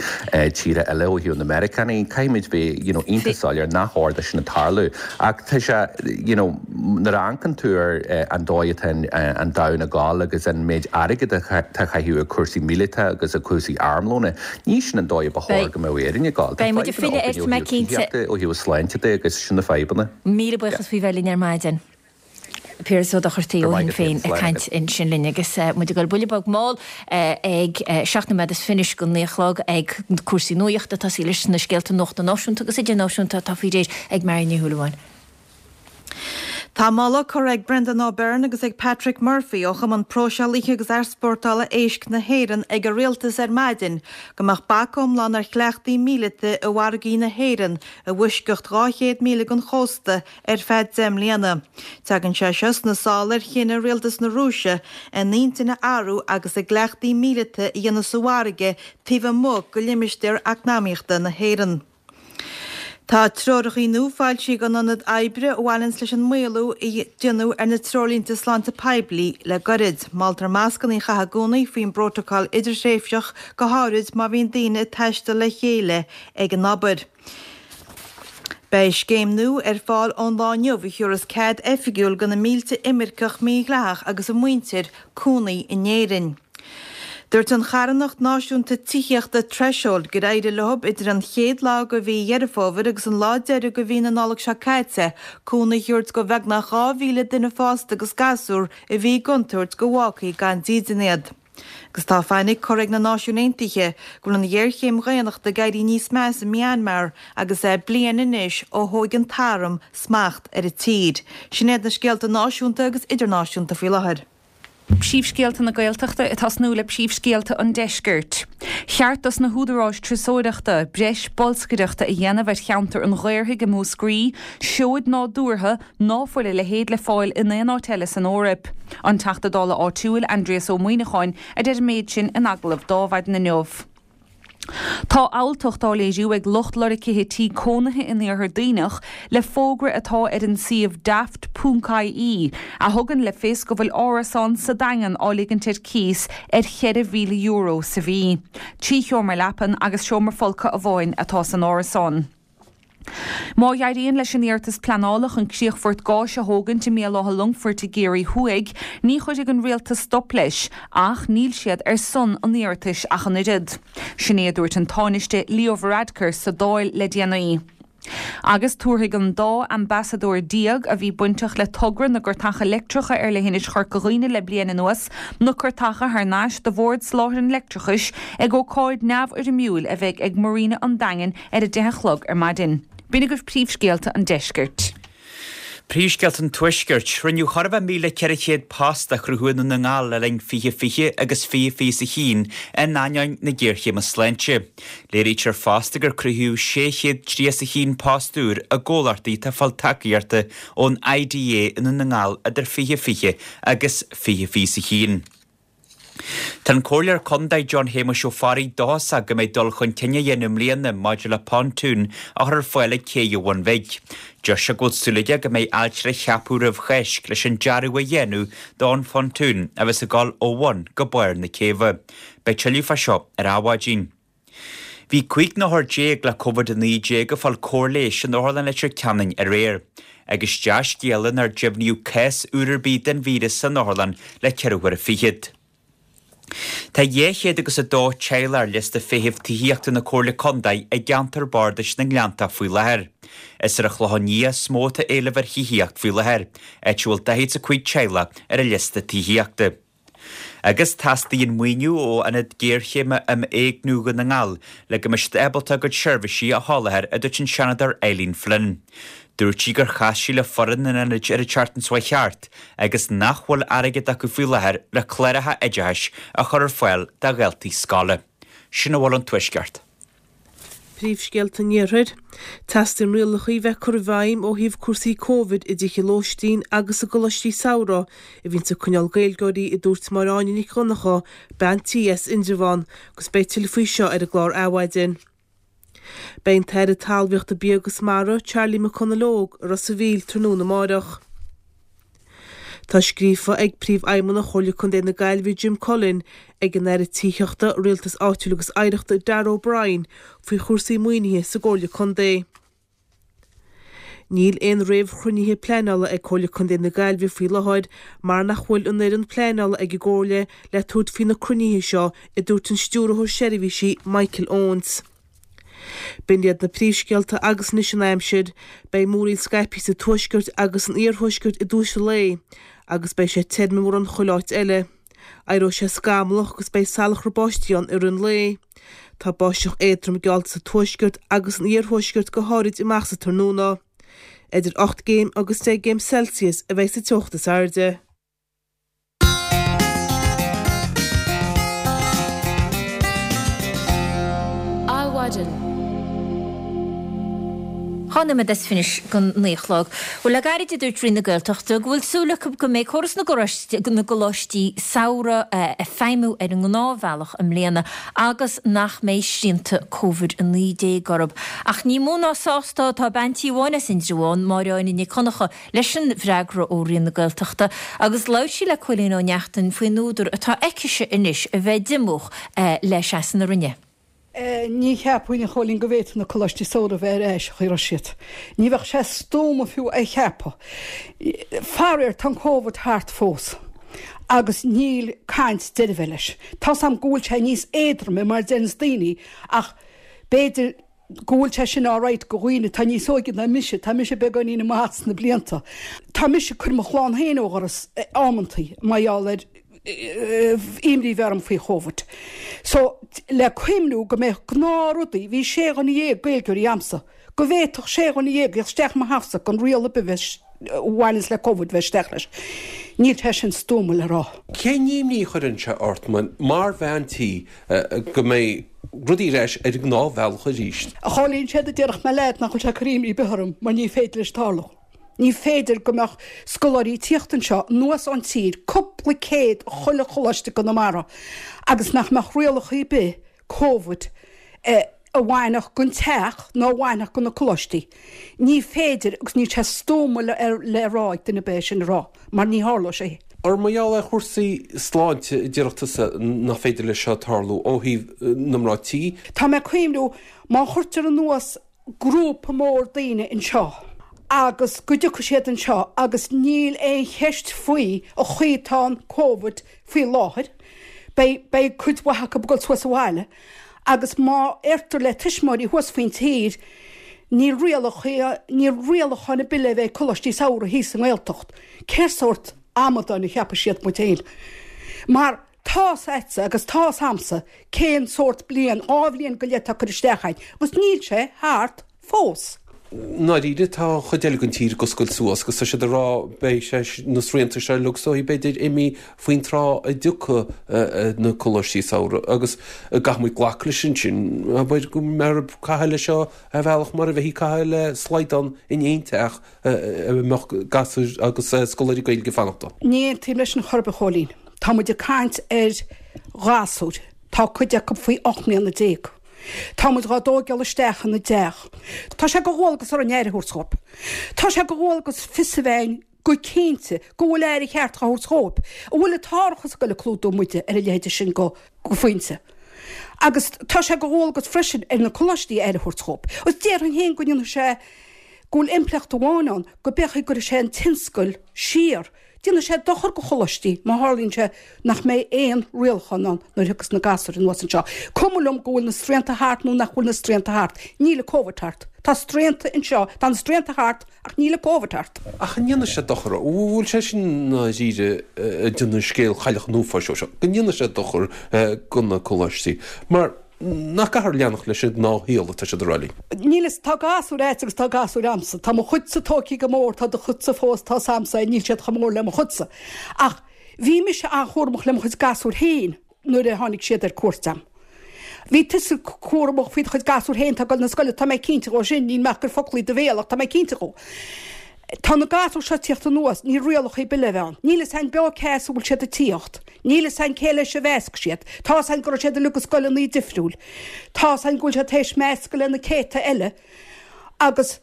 tíortha eile ó thaobh na Meiriceánaigh. Caithfimid bheith you know iontach soiléir nach chóir do sin tarlú. Ach tá sé you know nuair a amharcann tú ar an dóigh atá an domhan ag gabháil agus an méid airgid atá á chaitheamh ar cúrsaí míleata agus ar cúrsaí armlóna, ní sin an dóigh ba chóir go mbeadh Éirinn ag gabháil. Tá Beidh muid ag fadhbanna filleadh againn air, ó mé thaobh cinnte. tithíochta, ó thaobh sláinte de agus sin na fadhbanna. Míle buíochas faoi bheith linn ar maidin. Piaras Ó Dochartaigh Go ó raibh Shinn maith agat Féin féin, ag slán caint agat. ansin linn agus muid ag dul buille beag mall ag seacht nóiméad is fiche go naoi a chlog ag cúrsaí nuachta, tosaí leis na scéalta nuachta náisiúnta agus idirnáisiúnta atá faoi réir ag Mary Ní Shúilleabháin. Tá moladh curtha ag Brendan O'Byrne agus ag Patrick Murphy ó Chumann Próiseálaithe agus Easpórtála Éisc na hÉireann ag an Rialtas ar maidin go mbeadh bac iomlán ar chleachtaí míleata i bhfarraigí na hÉireann i bhfoisceacht dhá chéad míle den chósta ar feadh deich mbliana. Tagann sé seo sna sála ar chinneadh Rialtas na Rúise a n-intinn a athrú agus a gcleachtaí míleata a dhéanamh sa bhfarraige taobh amuigh de limistéar eacnamaíochta na hÉireann. Tá treoracha nua foilsithe ag an Ionad Oibre a bhaineanns leis an maolú a déanadh ar na treoirlínte sláinte poiblí le gairid. Moltar mascanna a chaitheamh i gcónaí faoin bprótacal idirthréimhseach, go háirid má bhíonn daoine ag taisteal le chéile ag an obair. Beidh scéim nua ar fáil ón lá inniu a thabharfas cead oifigiúil do na mílte imirceach mídhleathach agus a muintir cónaí in Éirinn. Dúirt an charthanacht náisiúnta tithíochta Threshold gur éirigh leo idir an chéad lá de mhí Dheireadh Fómhair agus an lá deiridh de mhí na Nollag seo caite cónaí a thabhairt do bheagnach dhá mhíle duine fásta agus gasúr a bhí i gcontúirt go bhfágfaí gan dídean iad. Agus tá fainic curtha ag na Náisiúin Aontaithe go bhfuil an ghéarchéim dhaonnachta ag éirí níos measa i Myanmar agus é bliain anois ó thóg an t-arm smacht ar an tír. Sin iad na scéalta náisiúnta agus idirnáisiúnta faoi láthair. Príomhscéalta na Gaeltachta ag tosnú le príomhscéalta an Deiscirt. Cheart dos na húdaráis turasóireachta breis bolscaireachta a dhéanamh ar cheantar an Ghaorthaidh i Múscraí, seoid nádúrtha ná fuil a leithéid le fáil in aon áit eile san Eoraip. An Teachta Dála áitiúil Aindrias Ó Muimhneacháin a deir an méid sin in agallamh d'Adhmhaidin inniu. Tá alltacht á léiriú ag lucht lorgaithe tí cónaithe in Iarthar Duibhneach le fógra atá ar an suíomh daft ponc ie a thugann le fios go bhfuil árasán sa Daingean á ligint ar cíos ar cheithre mhíle euro sa mhí. Trí sheomra leapan agus seomra folctha amháin atá san árasán. Má éiríonn leis an iarratas pleanála chun críochfort gáis a thógaint i mBéal Átha Longfoirt i gCiarraí Thuaidh, ní chuirfidh an rialtas stop leis, ach níl siad ar son an iarratais ach an oiread. Sin é a dúirt an Tánaiste Leo Varadkar sa Dáil le déanaí. Agus tabharfaidh an dá ambasadóir déag a bhí bainteach le togra na gcairteacha leictreacha ar leithinis Chorca Dhuibhne le bliain anuas na cairteacha thar n-ais do Bhord Soláthair an Leictreachais ag ócáid neamhfhoirmiúil a bheidh ag Marina an Daingin ar a deich a chlog ar maidin. B'in agaibh príomhscéalta an deiscirt. Príomhscéalta an Tuaiscirt. Rinneadh chóir a bheith míle ceithre chéad post a chruthú i nDún na nGall le linn fiche fiche agus fiche fiche a haon in ainneoin na géarchéime sláinte. Léirítear fosta gur cruthaíodh sé chéad tríocha a haon post úr i gcomhlachtaí atá ag fáil tacaíochta ón IDA i nDún na nGall idir fiche fiche agus fiche fiche a haon. Tá an Comhairleoir Contae John Shéamuis Ó Fearraigh dóchasach go mbeidh dul chun cinn á dhéanamh i mbliana maidir le pontún a chur ar fáil ag Cé an Bhun Bhig. Deir sé go bhfuil súil aige go mbeidh ailtire ceaptha roimh Cháisc leis an dearadh a dhéanamh don phontún a bheas ag dul ó bhun go barr na céibhe. Beidh tuilleadh fá seo ar Adhmhaidin. Bhí cúig n-othar déag le Covid a naoi déag ag fáil cóir leighis in Otharlann Leitir Ceanainn aréir. Agus dea-scéala nár deimhníodh cás úr ar bith den víreas san otharlann le ceithre huaire fichead. Tá dhá chéad agus a dó teaghlach ar liosta feithimh tithíochta na Comhairle Contae i gceantar bardais na nGleanntach faoi láthair. Is ar an Chlochán Liath is mó atá éileamh ar thithíocht faoi láthair, áit a bhfuil daichead is a cúig teaghlach ar an liosta tithíochta. Agus teastaíonn maoiniú ó Ionad Géarchéime um Éigniú Dhún na nGall le go mbeidh siad ábalta a gcuid seirbhísí a sholáthar, a dúirt an Seanadóir Eileen Flynn. Dúirt sí gur chas sí le foireann an ionaid ar an tseachtain seo chuaigh thart agus nach bhfuil airgead acu faoi láthair le cláracha oideachais a chur ar fáil do dhaltaí scoile. Sin a bhfuil ón Tuaisceart. Príomhscéalta an Iarthair. Teastaíonn rialacha a bheith curtha i bhfeidhm ó thaobh cúrsaí Covid i dtithe lóistín agus i gcoláistí samhraidh a bhíonns ag coinneáil Gaeilgeoirí, a dúirt Máire Áine Nic Dhonncha, bean tí as Indreabhán, agus beidh tuilleadh faoi seo ar an gclár Adhmhaidin. Beidh an tAire Talmhaíochta, Bia agus Mara, Charlie McConalogue, i Ros a' Mhíl tráthnóna amáireach. Tá scríofa ag Príomhfheidhmeannach Chomhairle Contae na Gaillimhe Jim Cullen ag an Aire Tithíochta, Rialtais Áitiúil agus Oidhreachta Darragh O'Brien faoi chúrsaí maoinithe sa gComhairle Contae. Níl aon réamhchruinnithe pleanála ag Comhairle Contae na Gaillimhe faoi láthair mar nach bhfuil an fhoireann pleanála ag an gComhairle le tabhairt faoi na cruinnithe seo, a dúirt an Stiúrthóir Seirbhísí Michael Owens. B'in iad na príomhscéalta agus anois an aimsir. Beidh múraíl scaipthe sa tuaisceart agus san iarthuaisceart i dtús an lae agus beidh sé tirim i mórán chuile áit eile. Éireoidh sé scamallach agus beidh salachar báistí ann i rith an lae. Tá báisteach éadrom geallta sa tuaisceart agus san iarthuaisceart go háirid amach sa tráthnóna. Idir ocht gcéim agus deich gcéim Celsius a bheidh sa teocht is airde. Adhmhaidin. Dhá nóiméad is fiche don naoi a chlog. Bhuel, le gairid a dúirt Roinn na Gaeltachta go bhfuil súil acu go mbeidh córas na gcoláistí samhraidh ag feidhmiú ar an ngnáthbhealach i mbliana agus nach mbeidh srianta Covid a naoi déag orthu. Ach ní mó ná sásta atá bean tí amháin as Indreabhán, Máire Áine Nic Dhonncha, leis an bhfreagra ó Roinn na Gaeltachta agus labhair sí le Cóilín Ó Neachtain faoin údar atá aicise anois a bheith diomúch le seasamh na Roinne. Ní cheapfainn, a Chóilín, go bhféadfadh na coláistí samhraidh a bheith ar ais an chaoi a raibh siad. Ní bheadh sé stuama fiú é a cheapadh. Faraor, tá an Covid thart fós agus níl caint deireadh a bheith leis. Tá's a'm go bhfuil sé níos éadroime mar a deireanns daoine ach b'fhéidir go bhfuil sé sin alright go dhaoine atá níos óige ná mise, tá mise beagáinín amach sna blianta. Tá mise ag cur mo chlann féin ó dhoras amantaí mar gheall ar imní a bheith orm faoi Chóvid. So, le cuimhniú go mbeadh gnáthrudaí, bhí sé dhuine dhéag Gaeilgeoirí a'msa, go bhféadfadh sé dhuine dhéag theacht isteach i mo theachsa gan riail ar bith bheith a bhaineanns le Covid bheith isteach leis. Níl sé sin stuama le rá. Cén imní a chuireann sé ort mar bhean tí go mbeidh rudaí ar ais ar an ngnáthbhealach arís? A Chóilín, séard a déarfadh mé leat nach bhfuil sé ag cur imní ar bith orm mar ní féidir leis tarlú. Ní féidir go mbeadh scoláirí ag tíocht anseo anuas ón tír, cúpla céad chuile choláiste i gConamara, agus nach mbeadh rialacha ar bith Covid a bhainfeadh don teach nó a bhainfeadh do na coláistí. Ní féidir agus níl sé stuama le rá ag duine ar bith é sin a rá mar ní tharlóidh sé. Ar mar gheall ar chúrsaí sláinte a déarfadh tusa nach féidir leis seo tarlú ó thaobh na mná tí? Tá mé ag cuimhniú má chuirtear anuas grúpa mór daoine anseo agus go dtiocfaidh siad anseo agus níl aon cheist faoi an chaoi atá an Covid faoi láthair, beidh, beidh cuid mhaith acu ag dul suas abhaile agus má deirtear le tuismitheoirí thuas faoin tír níl rialacha, níl rialacháin ar bith le bheith ag coláistí samhraidh thíos sa nGaeltacht, cén sórt amadáin a cheapfaidh siad muid féin? Mar tá's a'dsa agus tá's a'msa cén sórt bliain, dhá bhliain go leith atá curtha isteach a'inn agus níl sé thart fós. I ndáiríre tá an chuid eile den tír ag oscailt suas agus tá siad ag rá beidh sé na srianta seo uilig is dóigh b'fhéidir imithe faoin tráth a dtiocfaidh na coláistí samhraidh agus caithfidh muid glacadh leis ansin abair go mbeifear ag caitheamh leis seo ar bhealach mar a bheifí ag caitheamh le slaghdán in aon teach a mbeadh gasúir agus scoláirí Gaeilge ag fanacht ann. Ní aontaím leis sin chor ar bith a Chóilín. Tá muid ag caint ar ghasúir, tá cuid acu faoi ocht mbliana déag. Tá muid dhá dtóigeáil isteach ina dteach. Tá sé de dhualgas orainn aire a thabhairt dhóibh. Tá sé de dhualgas fios a bheith a'inn go cinnte go bhfuil aire cheart dhá thabhairt dhóibh. An bhfuil an t-árachas ag goil ag clúdú muide ar a leithéide sin go phointe. Agus tá sé de dhualgas freisin ar na coláistí aire a thabhairt dhóibh. Agus déarfainn féin go ndéanfaidh sé go bhfuil impleacht amháin ann, go b'fhéidir go gcuirfidh sé an tionscal siar. Déanfaidh sé dochar do choláistí má tharlaíonn sé nach mbeidh aon rialachán ann nuair a thiocfas na gasúir anuas anseo. Cuma liom go bhfuil na srianta thart nó nach bhfuil na srianta thart, níl an Covid thart. Tá srianta anseo, tá na srianta thart ach níl an Covid thart. Ach an ndéanfaidh sé dochar? An bhfuil sé sin i ndáiríre ag déanamh scéal Chailleach an Uafáis dhó seo, go ndéanfaidh sé dochar do na coláistí? Mar nach gcaithfear leanacht leis an ngnáthshaol atá siad ag rá linn. Níl fhios, tá gasúir a'd agus tá gasúir a'msa. Tá mo chuidse tógtha go mór, tá do chuidse fós, tá's a'msa, níl siad chomh mór le mo chuidse. Ach bhí mise an-chúramach le mo chuid gasúr féin nuair a tháinig siad ar cuairt a'm. Bhí tusa cúramach faoi do chuid gasúr féin atá ag dul na scoile, tá mé cinnte dhó sin, níl mé ach ag cur foclaí i do bhéal ach tá mé cinnte dhó. Tá na gasúir seo ag tíocht anuas, níl rialacha ar bith le bheith ann. Níl fhios a'inn beo cé as a bhfuil siad ag tíocht. Níl fhios a'inn cé leis a mheasc siad. Tá's a'inn go raibh siad uilig i scoileanna difriúil. Tá's a'inn go bhfuil siad théis meascadh le na céadta eile agus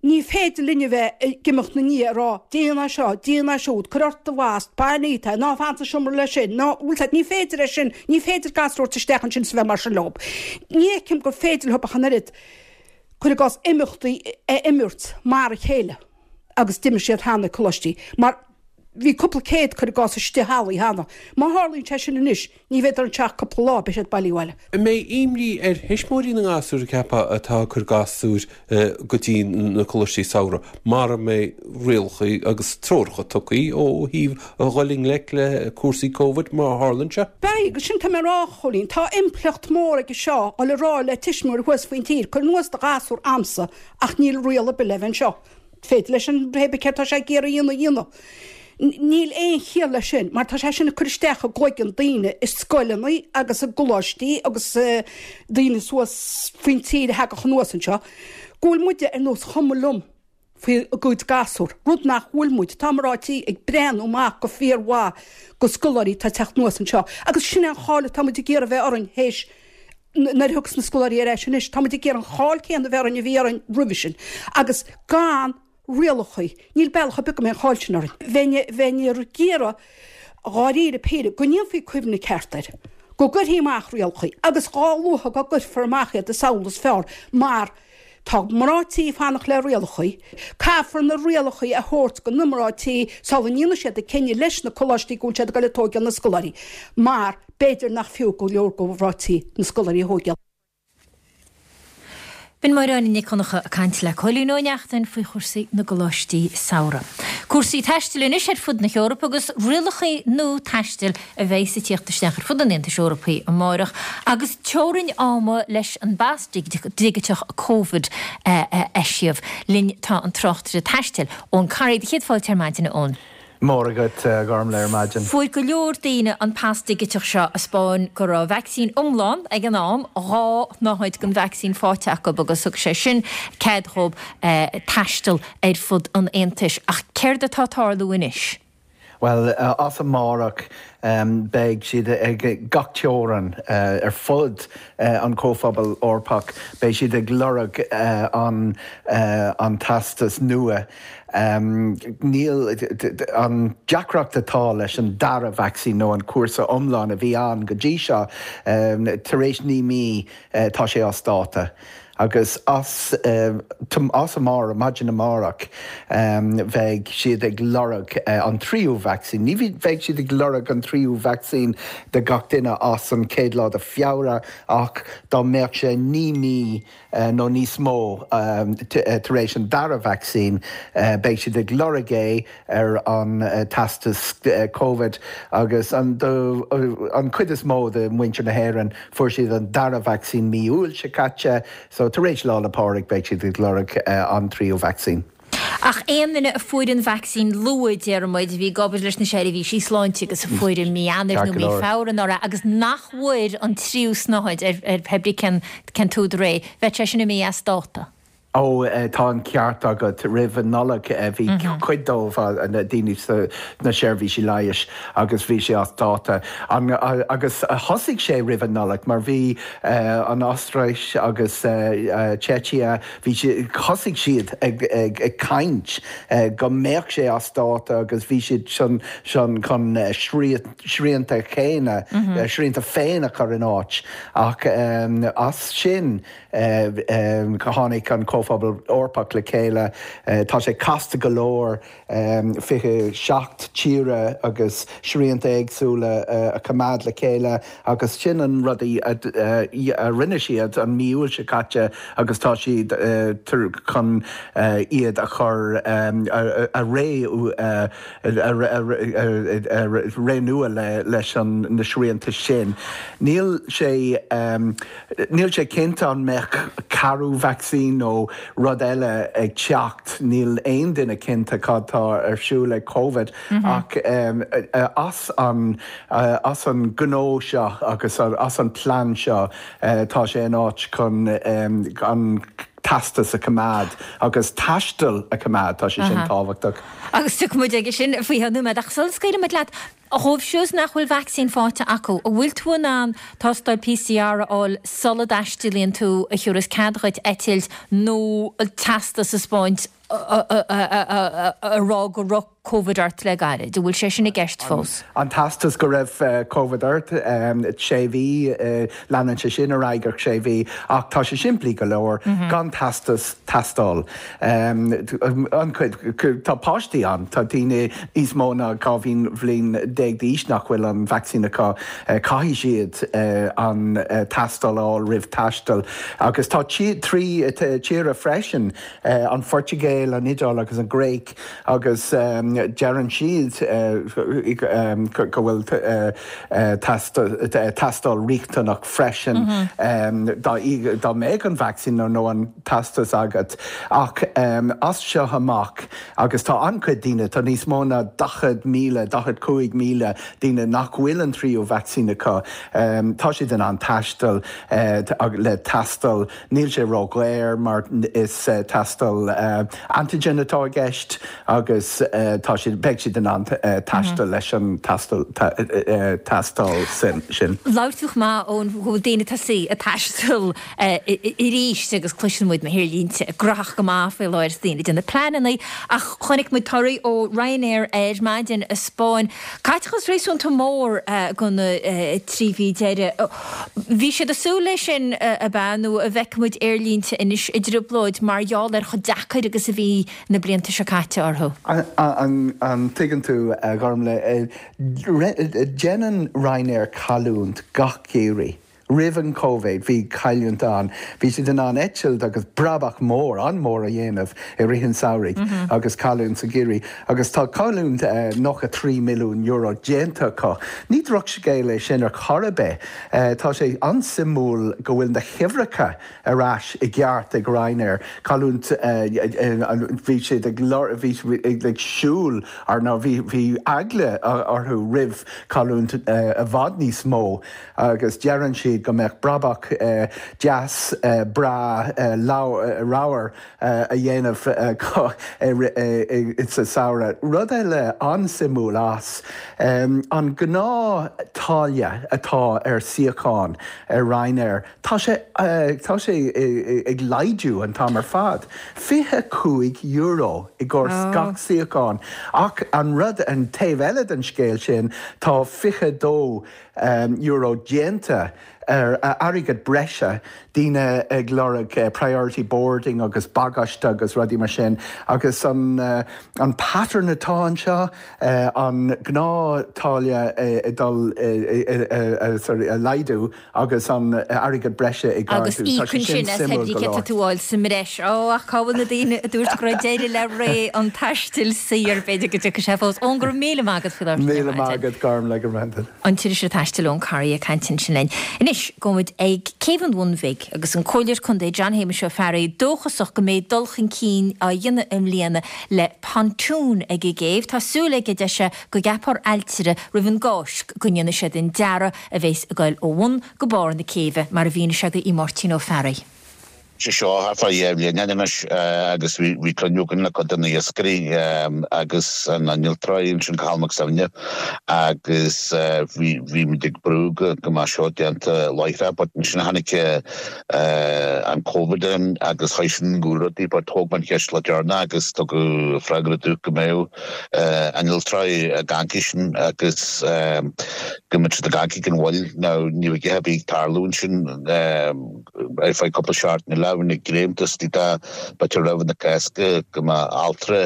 ní féidir linn a bheith ag imeacht 'na ndiaidh ag rá déan é seo, déan é siúd, cuir ort do mhasc, bain é, ná fan sa seomra leis sin, ná, bhfuil 's a'd, ní féidir é sin, ní féidir gasúir a thabhairt isteach ansin is a bheith mar sin leob. Ní fheicim gur féidir leob ach an oiread. cuir i gcás, imeachtaí a imirt mar a chéile agus d'imir siad cheana ag coláistí, mar bhí cúpla céad, cuir i gcás, istigh i hallaí cheana. Má tharlaíonn sé sin anois, ní bheidh anseo ach cúpla lá, beidh siad bailithe abhaile. An mbeidh imní ar thuismitheoirí na ngasúr, an gceapfá, atá ag cur gasúir go dtí na coláistí samhraidh, mara mbeidh rialacha agus treoracha tugtha ó thaobh a dhul i ngleic le cúrsaí Covid má tharlaíonn sé? Beidh, agus sin tá mé a rá, a Chóilín, tá impleacht mór aige seo a dhul a rá le tuismitheoirí thuas faoin tír, cuir anuas do ghasúr a'msa ach níl riail ar bith le bheith anseo. Féidir leis an pé ar bith céard tá sé ag iarraidh a dhéanamh a dhéanamh. Níl aon chiall leis sin mar tá sé sin ag cur isteach i gcloigeann daoine i scoileanna agus i gcoláistí agus daoine suas faoin tír a thagadh anuas anseo go bhfuil muide ar nós chuma liom faoi a gcuid gasúr, rud nach bhfuil muid. Tá mná tí ag breathnú amach go fíormhaith go scoláirí atá ag teacht anuas anseo agus sin é an cháil atá muid ag iarraidh a bheith orainn théis nuair a thiocfas na scoláirí ar ais anois. Tá muid ag iarraidh an cháil céanna a bheith orainn a bhí orainn roimhe sin agus gan rialacha. Níl bealach ar bith go mbeidh an cháil sin orainn. Bheinn, bheinn ag iarraidh, dháiríre píre, go ndéanfaí cuimhne ceart air, go gcuirfí amach rialacha agus dhá luaithe go gcuirfear amach iad is amhlaidh is fearr mar tá mná tí ag fanacht le rialacha. Caithfear na rialacha a thabhairt go na mná tí sula ndéanfaidh siad an cinneadh leis na coláistí go bhfuil siad ag dul ag tóigeáil na scoláirí mar b'fhéidir nach fiú go leor go mhná tí na scoláirí a thóigeáil. B'in Máire Áine Nic Dhonncha ag caint le Cóilín Ó Neachtain faoi chúrsaí na gcoláistí samhraidh. Cúrsaí taistil anois ar fud na hEorpa agus rialacha nua taistil a bheas ag tíocht isteach ar fud an Aontais Eorpaigh amárach agus teorainn ama leis an bpas digiteach Covid a eisiamh. Linn tá an tráchtaire taistil, Eoin Corry. Céad fáilte ar maidin, a Eoin. Móra agat, a Ghormlaith, ar maidin. Fuair go leor daoine an pas digiteach seo a 'spáin go raibh vacsaín iomlán ag an am, dhá shnáthaid den vacsaín faighte acu agus thug sé sin cead dhóibh taisteal ar fud an Aontais. Ach céard atá ag tarlú anois? Bhuel, as amárach beidh siad ag gach teorainn ar fud an Chomhphobail Eorpach, beidh siad ag lorg an an teastas nua. Níl an deacracht atá leis an dara vacsaín nó an cúrsa iomlán a bhí ann go dtí seo, tar éis naoi mí tá sé as dáta. Agus as as amárach, maidin amárach, bheidh siad ag lorg an tríú vacsaín. Ní bheidh siad ag lorg an tríú vacsaín de gach duine as an chéad lá de Feabhra ach dá mbeadh sé naoi mí nó níos mó tar éis an dara vacsaín, beidh siad ag lorg é ar an teastas Covid agus an an chuid is mó de mhuintir na hÉireann fuair siad an dara vacsaín mí Iúil seo caite, so tar éis Lá 'le Pádraig beidh siad ag lorg an tríú vacsaín. Ach aon duine a fuair an vacsaín luath, deir muid, a bhí ag obair leis na seirbhísí sláinte agus a fuair i mí Eanáir nó mí Feabhra anuraidh agus nach bhfuair an tríú snáthaid ar pé brí cén cén t-údar é, bheadh sé sin imithe as dáta. Ó, tá an ceart agat. Roimh an Nollaig bhí cuid dóibh, daoine sna seirbhísí leighis agus bhí sé as dáta. Agus thosaigh sé roimh an Nollaig mar bhí an Ostair agus Seicia, bhí siad, thosaigh siad ag caint go mbeadh sé as dáta agus bhí siad chun srianta céanna, srianta féin a chur in áit. Ach as sin tháinig an Comhphobal Eorpach le chéile. Tá sé casta go leor fiche seacht tíre agus srianta éagsúla a choimeád le chéile agus sin an rud a rinne siad an mí Iúil seo caite agus tá siad chun iad a chur a ré ré nua leis na srianta sin. Níl sé níl sé cinnte an mbeadh ceathrú vacsaín nó rud eile ag teacht, níl aon duine cinnte cad tá ar siúl ag Covid ach as an as an gnó seo agus as an plean seo tá sé in áit chun an teastas a choimeád agus taisteal a choimeád, tá sé sin tábhachtach. Agus tiocfaidh muid aige sin faoi cheann nóiméad ach sula scaoilfidh muid leat, dhóibh siúd nach bhfuil vacsaín faighte acu, an bhfuil tú in ann tástáil PCR a fháil sula dtaistealaíonn tú a thiúrfas cead dhuit eitilt nó teastas a 'spáint a rá go raibh Covid ort le gairid? An bhfuil sé sin i gceist fós? An teastas go raibh Covid ort, sé mhí, leanann sé sin ar aghaidh ar sé mhí, ach tá sé simplí go leor, gan teastas tástáil. An chuid, tá páistí ann, tá daoine níos mó ná dhá bhliain déag d'aois nach bhfuil an vacsaín acu, caithfidh siad an tástáil a fháil roimh taisteal. Agus tá trí tíre freisin, an Phortaingéil, an Iodáil agus an Ghréig, agus deireann siad go bhfuil tástáil riachtanach freisin dá mbeadh an vacsaín nó an teastas agat. Ach as seo amach, agus tá an-chuid daoine, tá níos mó ná daichead míle, daichead cúig míle daoine nach bhfuil an tríú vacsaín acu, tá siad in ann taisteal le tástáil. Níl sé ródhaor mar is tástáil antigen atá i gceist agus tá siad, beidh siad in ann taisteal leis an tástáil sin. Labhair tú chomh maith Eoin go bhfuil daoine tosaithe ag taisteal arís agus cloiseann muid na haerlínte gnóthach go maith faoi láthair is daoine ag déanamh pleananna ach chonaic muid torthaí ó Ryanair ar maidin a 'spáin caiteachas réasúnta mór do na trí mhí deiridh. Bhí siad ag súil leis sin ab ea nó an bhfeicfidh muid aerlínte anois i dtrioblóid mar gheall ar chomh deacair agus a bhí na blianta seo caite orthu? An dtuigeann tú, a Ghormlaith, déanann Ryanair cailliúint gach geimhreadh Roimh an Covid bhí cailliúint ann. Bhí siad in ann eitilt agus brabach mór, an-mhór a dhéanamh i rith an samhraidh agus cailliúint sa gheimhreadh. Agus tá cailliúint nócha trí milliún euro déanta acu. Ní drochscéal é sin ar chor ar bith. Tá sé an-suimiúil go bhfuil na huimhreacha ar ais i gceart ag Ryanair. Cailliúint, bhí siad ag bhí ag siúl ar nó bhí bhí eagla orthu roimh cailliúint i bhfad níos mó agus deireann siad go mbeadh brabach deas breá ramhar a dhéanamh acu sa samhradh. Rud eile an-suimiúil as an gnáth táille atá ar suíochán ar Ryanair, tá sé tá sé ag laghdú an t-am ar fad. fiche cúig euro i gcomhair gach suíochán. Ach an rud, an taobh eile den scéal sin, tá fiche dó euro déanta ar airgead breise, daoine ag lorg priority boarding agus bagáiste agus rudaí mar sin agus an an pattern atá anseo, an gnáth táille ag dul sorry a laghdú agus an airgead breise ag Agus ardú. Tá sé íocann sin sin as suimiúil go leor. tú fháil sa mbreis. Ó, ach cá bhfuil na daoine a dúirt go raibh deireadh le ré an taistil saor b'fhéidir go dtiocfaidh sé fós. Eoin, go raibh míle maith agat faoi láthair. Míle maith agat, Gormlaith, go raibh. An t-iriseoir taistil Eoin Corry ag caint ansin linn. Anois gabhfaimid ag Céibh an Bhun Bhig agus an Comhairleoir Contae John Shéamuis Ó Fearraigh dóchasach go mbeidh dul chun cinn á dhéanamh i mbliana le pontún ag an gcéibh. Tá súil aige deir sé go gceapfar ailtire roimh an gCáisc go ndéanfaidh siad an dearadh a bheas ag goil ó bhun go barr na céibhe mar a mhínigh sé do Mháirtín Ó Fearraigh. sé seo thart fá dhá bhliain anois agus bhí bhí cruinniú againn le cuid de na iascairí agus an innealtóir ansin Cathal Mac Suibhne agus bhí bhí muid ag brú go go mbeadh seo déanta láithreach but ansin tháinig an Covid in agus chuir sin go leor rudaí but thóg mé an cheist le deireanach agus tugadh freagra domh go mbeadh innealtóirí ag amharc air sin agus go mbeadh siad ag amharc gan mhoill. Now ní raibh a dhath ar bith ag tarlú ansin ar feadh cúpla seachtain eile bhí na greimthe istigh dá b'fhéidir roimh na Cásca go mbeadh ailtire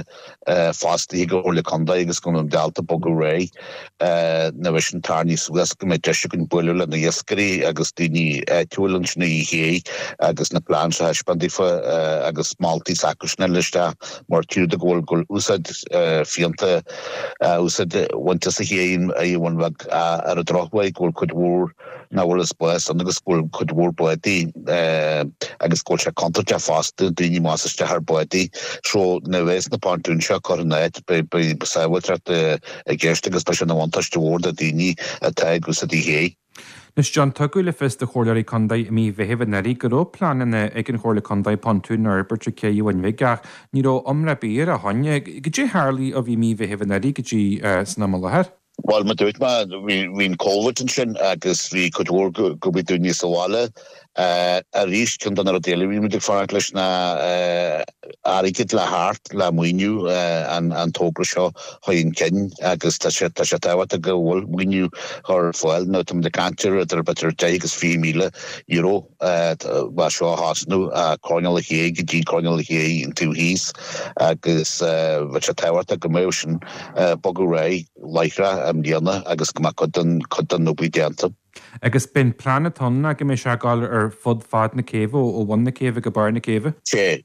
fostaithe ag an Chomhairle Contae agus go mbeadh ábalta bogadh ar aghaidh nuair a bheidh sin tarraingthe suas go mbeidh deis againn bualadh le na iascairí agus daoine áitiúil ansin ar an ché agus na plans a thaispeáint daofa agus moltaí s'acusan a fháil isteach mar tchítear go bhfuil go bhfuil úsáid fiúntach úsáid a bhaint as an ché ar an Bhun Bheag ar an drochuair go bhfuil cuid mhór nach bhfuil spás ann agus go bhfuil cuid mhór bádaí agus go bhfuil sé contúirteach fosta daoine más isteach ar bádaí so nuair a bheas na pontúin seo curtha in áit beidh sábháilteacht i gceist agus beidh sé ina bhuntáiste mhór do daoine atá ag úsáid an ché. Anois John, tugadh le fios do Chomhairleoirí Contae i mí Mheithimh anuraidh go raibh pleananna ag an Chomhairle Contae pontún a fhorbairt ag Cé an Bhuin Bhig ach ní raibh iomrá ar bith ar a shon. Goidé a tharlaigh ó bhí mí Mheithimh anuraidh go dtí san am i láthair? Bhuel, mar dúirt mé, bhí an Covid ansin agus bhí cuid mhór go bhí daoine sa bhaile. Arís, ceann de na rudaí eile a bhí muid ag fanacht leis ná airgead le theacht le maoiniú an togra seo a chur chun cinn agus tá sé tá sé tábhachtach go bhfuil maoiniú ar fáil. Now tá muid ag caint ar idir b'fhéidir deich agus fiche míle euro le seo a thosnú, coirnéal an ché go dtí coirnéal an ché an taobh thíos agus bheadh sé tábhachtach go mbeadh sin bogadh ar aghaidh láithreach i mbliana agus go mbeadh cuid den cuid den obair déanta. Agus b'in plean atá ann ná go mbeidh sé ag dul ar fud fad na céibhe, ó bhun na céibhe go barr na céibhe? Sea,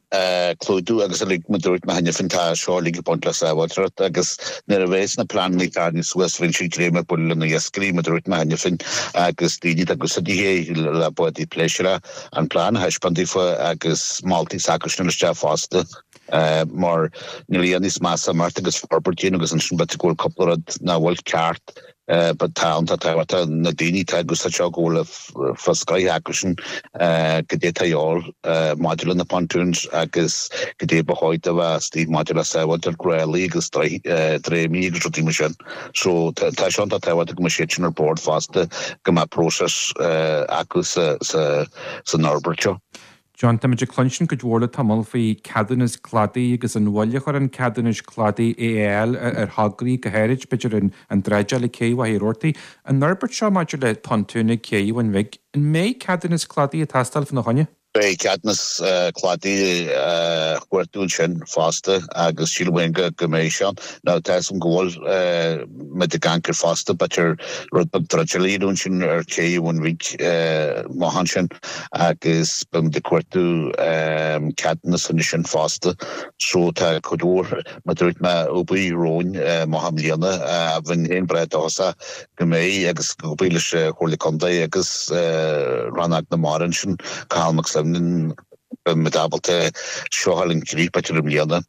clúdú agus uilig mar dúirt mé cheana féin tá seo uilig ag baint le sábháilteacht agus nuair a bheas na pleananna tarraingthe suas bheidh siad greim ag bualadh le na iascairí mar dúirt mé cheana féin agus daoine atá ag úsáid an ché le bádaí pléisiúir an plean a thaispeáint daofa agus moltaí s'acusan isteach fosta. Mar níl a dhath níos measa imeacht agus forbairt a dhéanamh agus ansin b'fhéidir go bhfuil cúpla rud nach bhfuil ceart but tá iontach tábhachtach na daoine atá ag úsáid seo go bhfuil fios go acusan goidé atá a dhíobháil maidir le na pontoons agus goidé ba chóir do bheith istigh maidir le sábháilteacht ráillí agus dréimí agus rudaí mar sin. So tá sé iontach tábhachtach go mbeidh siad sin ar bord fosta go mbeadh próiseas acu san fhorbairt seo. John, Táimid ag cluinstin cuid mhór le tamall faoi ceadúnas cladaigh agus an mhoill a chuireann ceadúnais cladaigh a fháil ar thograí, go háirid, b'fhéidir, an dráideáil ag Cé Mhachaire Rabhartaigh. An fhorbairt seo maidir le pontún ag Cé an Bhun Bhig, an mbeidh ceadúnas cladaigh ag teastáil fána choinne? Beidh ceadúnas cladaigh á chuartú ansin fosta agus sílim féin go go mbeidh sé ann. Now tá 'fhios a'm go bhfuil muid ag amharc air fosta b'fhéidir rud beag druideála a dhéanamh ansin ar ché an Bhun Bhig amach ansin agus beidh muid ag cuartú ceadúnas ansin fosta. So tá cuid mhór, mar a dúirt mé, obair romhainn amach i mbliana. Bheinn féin breá dóchasach go mbeidh agus ag obair leis an Chomhairle Contae agus Rannóg na Mara ansin, Cathal Mac Suibhne, beidh muid ábalta seo a chur chun críche b'fhéidir i mbliana.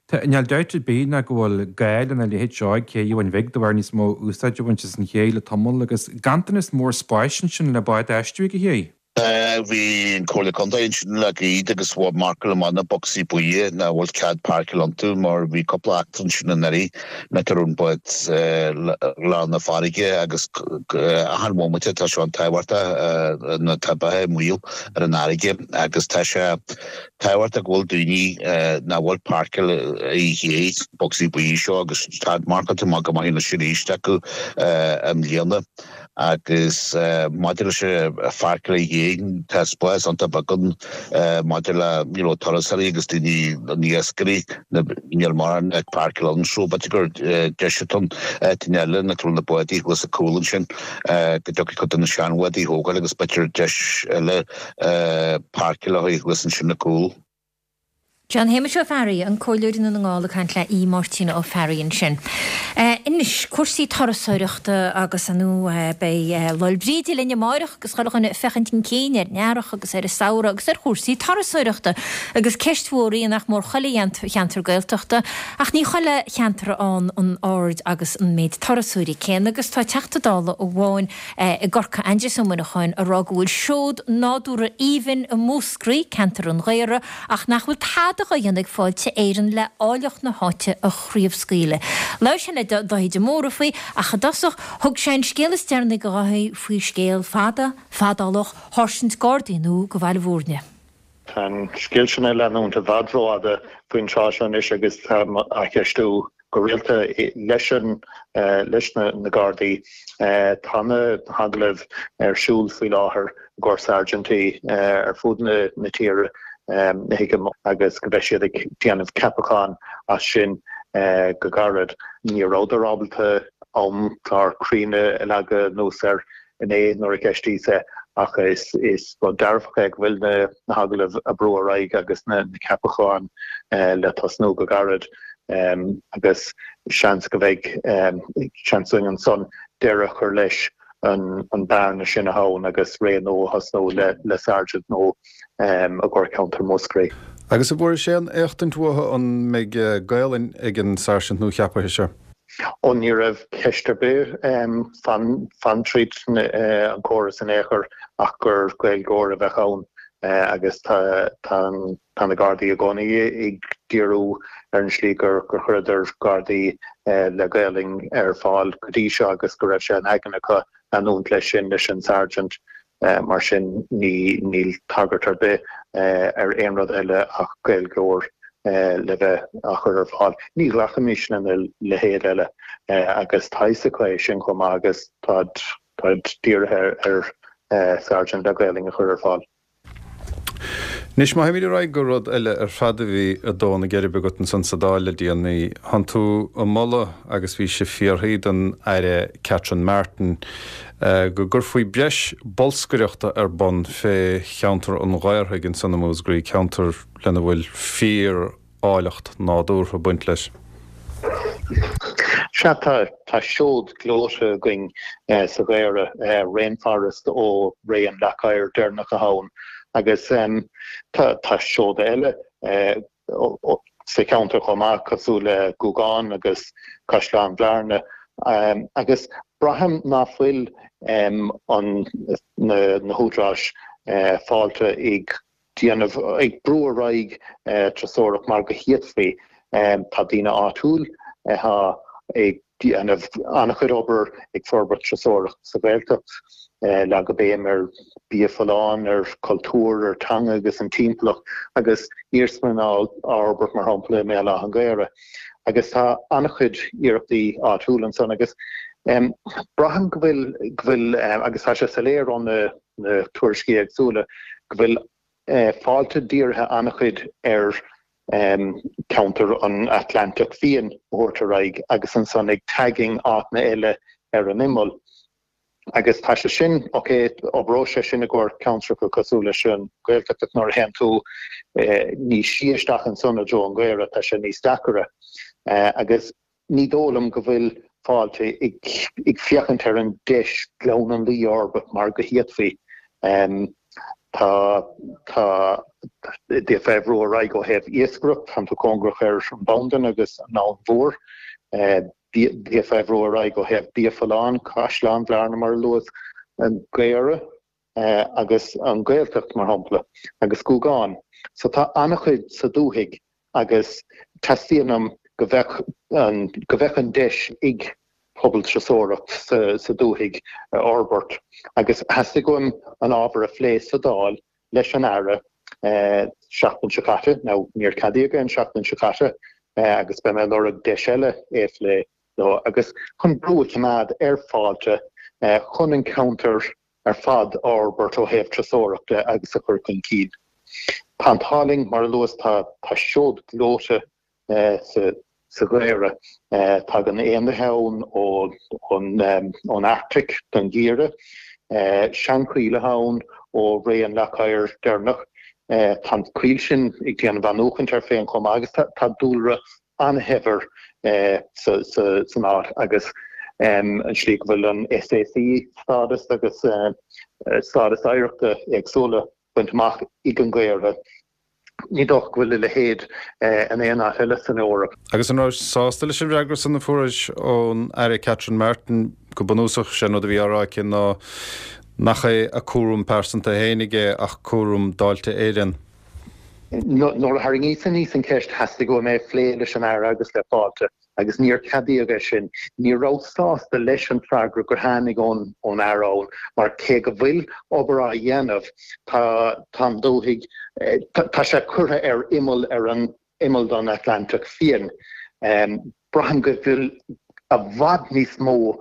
Tá, níl dabht ar bith ná go bhfuil gá lena leithéid seo ag Cé an Bhun Bhig de bharr níos mó úsáid a bhaint as an ché le tamall agus ganntanas mór spáis ansin le báid a fheistiú ag an ché. Bhí an Comhairle Contae ansin le gairid agus mharcáil amach na bocsaí buí nach bhfuil cead páirceáil iontu mar bhí cúpla eachtra ansin anuraidh nach raibh an bád lán na farraige agus achan bhomaite tá sé an-tábhachtach nuair atá beatha i mbaol ar an fharraige agus tá sé tábhachtach go bhfuil daoine nach bhfuil páirceáil i gcé bocsaí buí seo agus tá marcáilte amach go maith anois arís acu i mbliana. Agus maidir leis an pháirceáil ag an gcé, tá spás iontach beag ann maidir le you know turasóirí agus daoine, na iascairí, níl mórán ag páirceáil ann so b'fhéidir gur deis atá ann áiteanna eile nach bhfuil na bádaí thuas ag cúl ansin go dtiocfaidh cuid de na seanbhádaí a thógáil agus b'fhéidir deis eile páirceáil a thuas ansin ag cúl. John Shéamuis Ó Fearraigh, an Comhairleoir i nDún na nGall ag caint le Aodh Máirtín Ó Fearraigh ansin. Anois, cúrsaí turasóireachta agus ar ndóigh beidh Lá 'le Bríde linn amáireach agus chuile dhuine ag féachaint chun cinn ar an earrach agus ar an samhradh agus ar chúrsaí turasóireachta agus ceist mhór í nach mór chuile cheantar Gaeltachta ach ní chuile cheantar ann an aird agus an méid turasóirí céanna agus tá Teachta Dála amháin i gCorcaigh, Aindrias Ó Muineacháin, ag rá go bhfuil seod nádúrtha aoibhinn i Múscraí, ceantar an Ghaora, ach nach bhfuil tada dhá dhéanamh ag Fáilte Éireann le áilleacht na háite a chraobhscaoileadh. Labhair sé le Dáithí de Mórdha faoi, ach i dtosach, thug sé an scéal is deireanaí do Dháithí faoi scéal fada, fadálach sháirsint Gardaí nua go Bhaile Bhúirne. Tá an scéal sin ag leanúint i bhfad rófhada faoin tráth seo anois agus táim á cheistiú go rialta leis an leis na na Gardaí. Tá na hagallaimh ar siúl faoi láthair i gcomhair sáirsintí ar fud na na tíre thuigim agus go mbeidh siad ag déanamh ceapachán as sin go gairid. Ní rabhadar ábalta amchlár cruinn a leagadh anuas air inné nuair a cheistíos é ach is is rud dearfach é go bhfuil na hagallaimh ag brú ar aghaidh agus na ceapacháin le tosnú go gairid agus seans go mbeidh seans againn ansan deireadh a chur leis an bearna sin atá ann agus ré nua a thosnú le Sergeant nua i gcomhair ceantar Mhúscraí. Agus an bhfuairis aon éachtaint uathu an mbeidh Gaelainn ag an Sáirsint nuacheaptha seo? Ó ní raibh ceist ar bith fan fan tríd an córas in aon chor ach gur Gaeilgeoir a bheadh ann agus tá tá tá na Gardaí i gcónaí ag díriú ar an slí gur gur chuireadar Gardaí le Gaelainn ar fáil go dtí seo agus go raibh sé in aigne acu leanúint leis sin leis an Sergeant. Mar sin ní níl tagairt ar bith ar aon rud eile ach Gaeilgeoir le bheith á chur ar fáil. Ní ghlacfaimis lena leithéid eile agus tá fhios acu é sin chomh maith agus táid táid dírithe ar Sergeant le Gaelainn a chur ar fáil. Anois, má théimid ar aghaidh go rud eile ar fad a bhí ag dó na geirbe agat ansan sa Dáil le déanaí, thánn tú ag moladh, agus bhí sé fiafraithe den Aire Catherine Martin, go gcuirfí breis bolscaireachta ar bun fé cheantar an Ghaorthaidh ansan i Múscraí, ceantar lena bhfuil fíor áilleacht nádúrtha ag baint leis. Sea, tá, tá seod gleoite againn sa Ghaorthadh, rainforest ó ré an leac oighir deireanach atá ann, agus tá, tá seoda eile sa cheantar chomh maith, cosúil le Gúgán agus Caisleán Bhearna, agus braithim ná fuil an, na húdaráis fáilte ag déanamh, ag brú ar aghaidh turasóireacht mar go bhféadfaí. Tá daoine áitiúil atá ag déanamh an-chuid obair ag forbairt turasóireacht sa Ghaeltacht, leagadh béim ar bia folláin, ar chultúr, ar teanga agus an timpeallacht agus iarsmalann á fhorbairt mar shampla i mBéal Átha an Ghaorthaidh. Agus tá an-chuid iarrachtaí áitiúil ansan agus braithim go bhfuil, go bhfuil, agus tá sé soiléir ó na tuairiscí éagsúla, go bhfuil Fáilte dírithe an-chuid ar ceantar an Atlantach Fiáin a thabhairt ar aghaidh agus ansan ag tagging áiteanna eile ar an imeall. Agus tá sé sin, ok, oibreoidh sé sin i gcomhair ceantracha cosúil leis an Ghaeltacht ach nuair a théann tú níos sia isteach ansan i dtreo an Ghaora tá sé níos deacaire. Agus ní dóigh liom go bhfuil Fáilte ag féachaint ar an deis Gleann an Laoi a fhorbairt mar go bhféadfaí. Tá, tá, d'fhéadfá é a bhrú ar aghaidh ó thaobh iascaireacht, tánn tú cóngarach ar an Bhandan agus an Abhainn Mhór. D'fhéadfá é a bhrú ar aghaidh ó thaobh bia folláin, Caisleán Bhearna mar a luas, an Gaora agus an Ghaeltacht mar shampla, agus Gúgán. So tá an-chuid sa dúthaigh agus teastaíonn uaim go bheadh an, go bheadh an deis ag pobal turasóireacht sa, sa dúthaigh a fhorbairt agus theastaigh uaim an ábhar a phlé sa Dáil leis an Aire seachtain seo caite, now níor ceadaíodh é an seachtain seo caite agus beidh mé ag lorg deis eile é a phlé leo agus chun brú a choimeád ar Fáilte chun an ceantar ar fad a fhorbairt ó thaobh turasóireachta agus a chur chun cinn. Tá an t-ádh linn, mar a luas, tá tá seod gleoite sa sa Ghaora. Tagann éanlaithe ann ón Arctic don gheimhreadh, seanchoill ann ó ré an Leac Oighir deireanach. Tá an choill sin ag déanamh athnuachaint air féin chomh maith agus tá dúlra an-shaibhir san áit agus an tslí go bhfuil an SAC stádas agus stádas oidhreachta éagsúla bainte amach ag an Ghaora. Ní dócha go bhfuil a leithéid in aon áit eile san Eoraip. Agus an rabhais sásta leis an bhfreagra san a fuairis ón Aire Catherine Martin? Go bunúsach, sé an rud a bhí á rá aici ná nach é a cúram pearsanta fhéinig é ach cúram d'Fháilte Éireann. Nuair a tharraingíos aníos an cheist theastaigh uaim é a phlé leis an Aire agus le Fáilte. agus níor ceadaíodh é sin. Ní rabhas sásta leis an freagra gur tháinig ón ón Aire ann mar cé go bhfuil obair á dhéanamh tá tá an dúthaigh tá sé curtha ar imeall ar an imeall don Atlantach Fiáin. Braithim go bhfuil i bhfad níos mó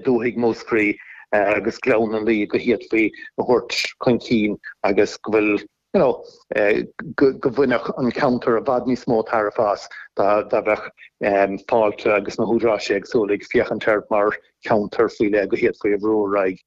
dúthaigh Mhúscraí agus Gleann an Laoi go bhféadfaí a thabhairt chun cinn agus go bhfuil you know, go mbainfeadh an ceantar i bhfad níos mó tairbhe as dá mbeadh Fáilte agus na húdaráis éagsúla ag féachaint air mar cheantar faoi leith go bhféadfaí a bhrú ar aghaidh.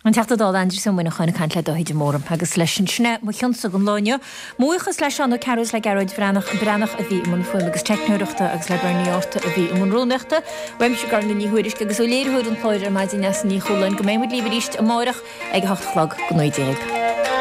An Teachta Dála Aindrias Ó Muineacháin ag caint le Dáithí de Mórdha agus leis sin sin é mo chionsa don lá inniu. Mo bhuíochas le Seán Ó Cearúil is le Gearóid Bhreathnach Breathnach a bhí i mbun fuaime agus teicneoireachta agus le Bernie Arta a bhí i mbun rúnaíochta. Uaimse Gormfhlaith Ní Thuairisg agus ó léiritheoir an chláir ar maidin Neasa Ní Chualáin go mbeidh muid libh arís amárach ag a hocht a chlog go naoi déag.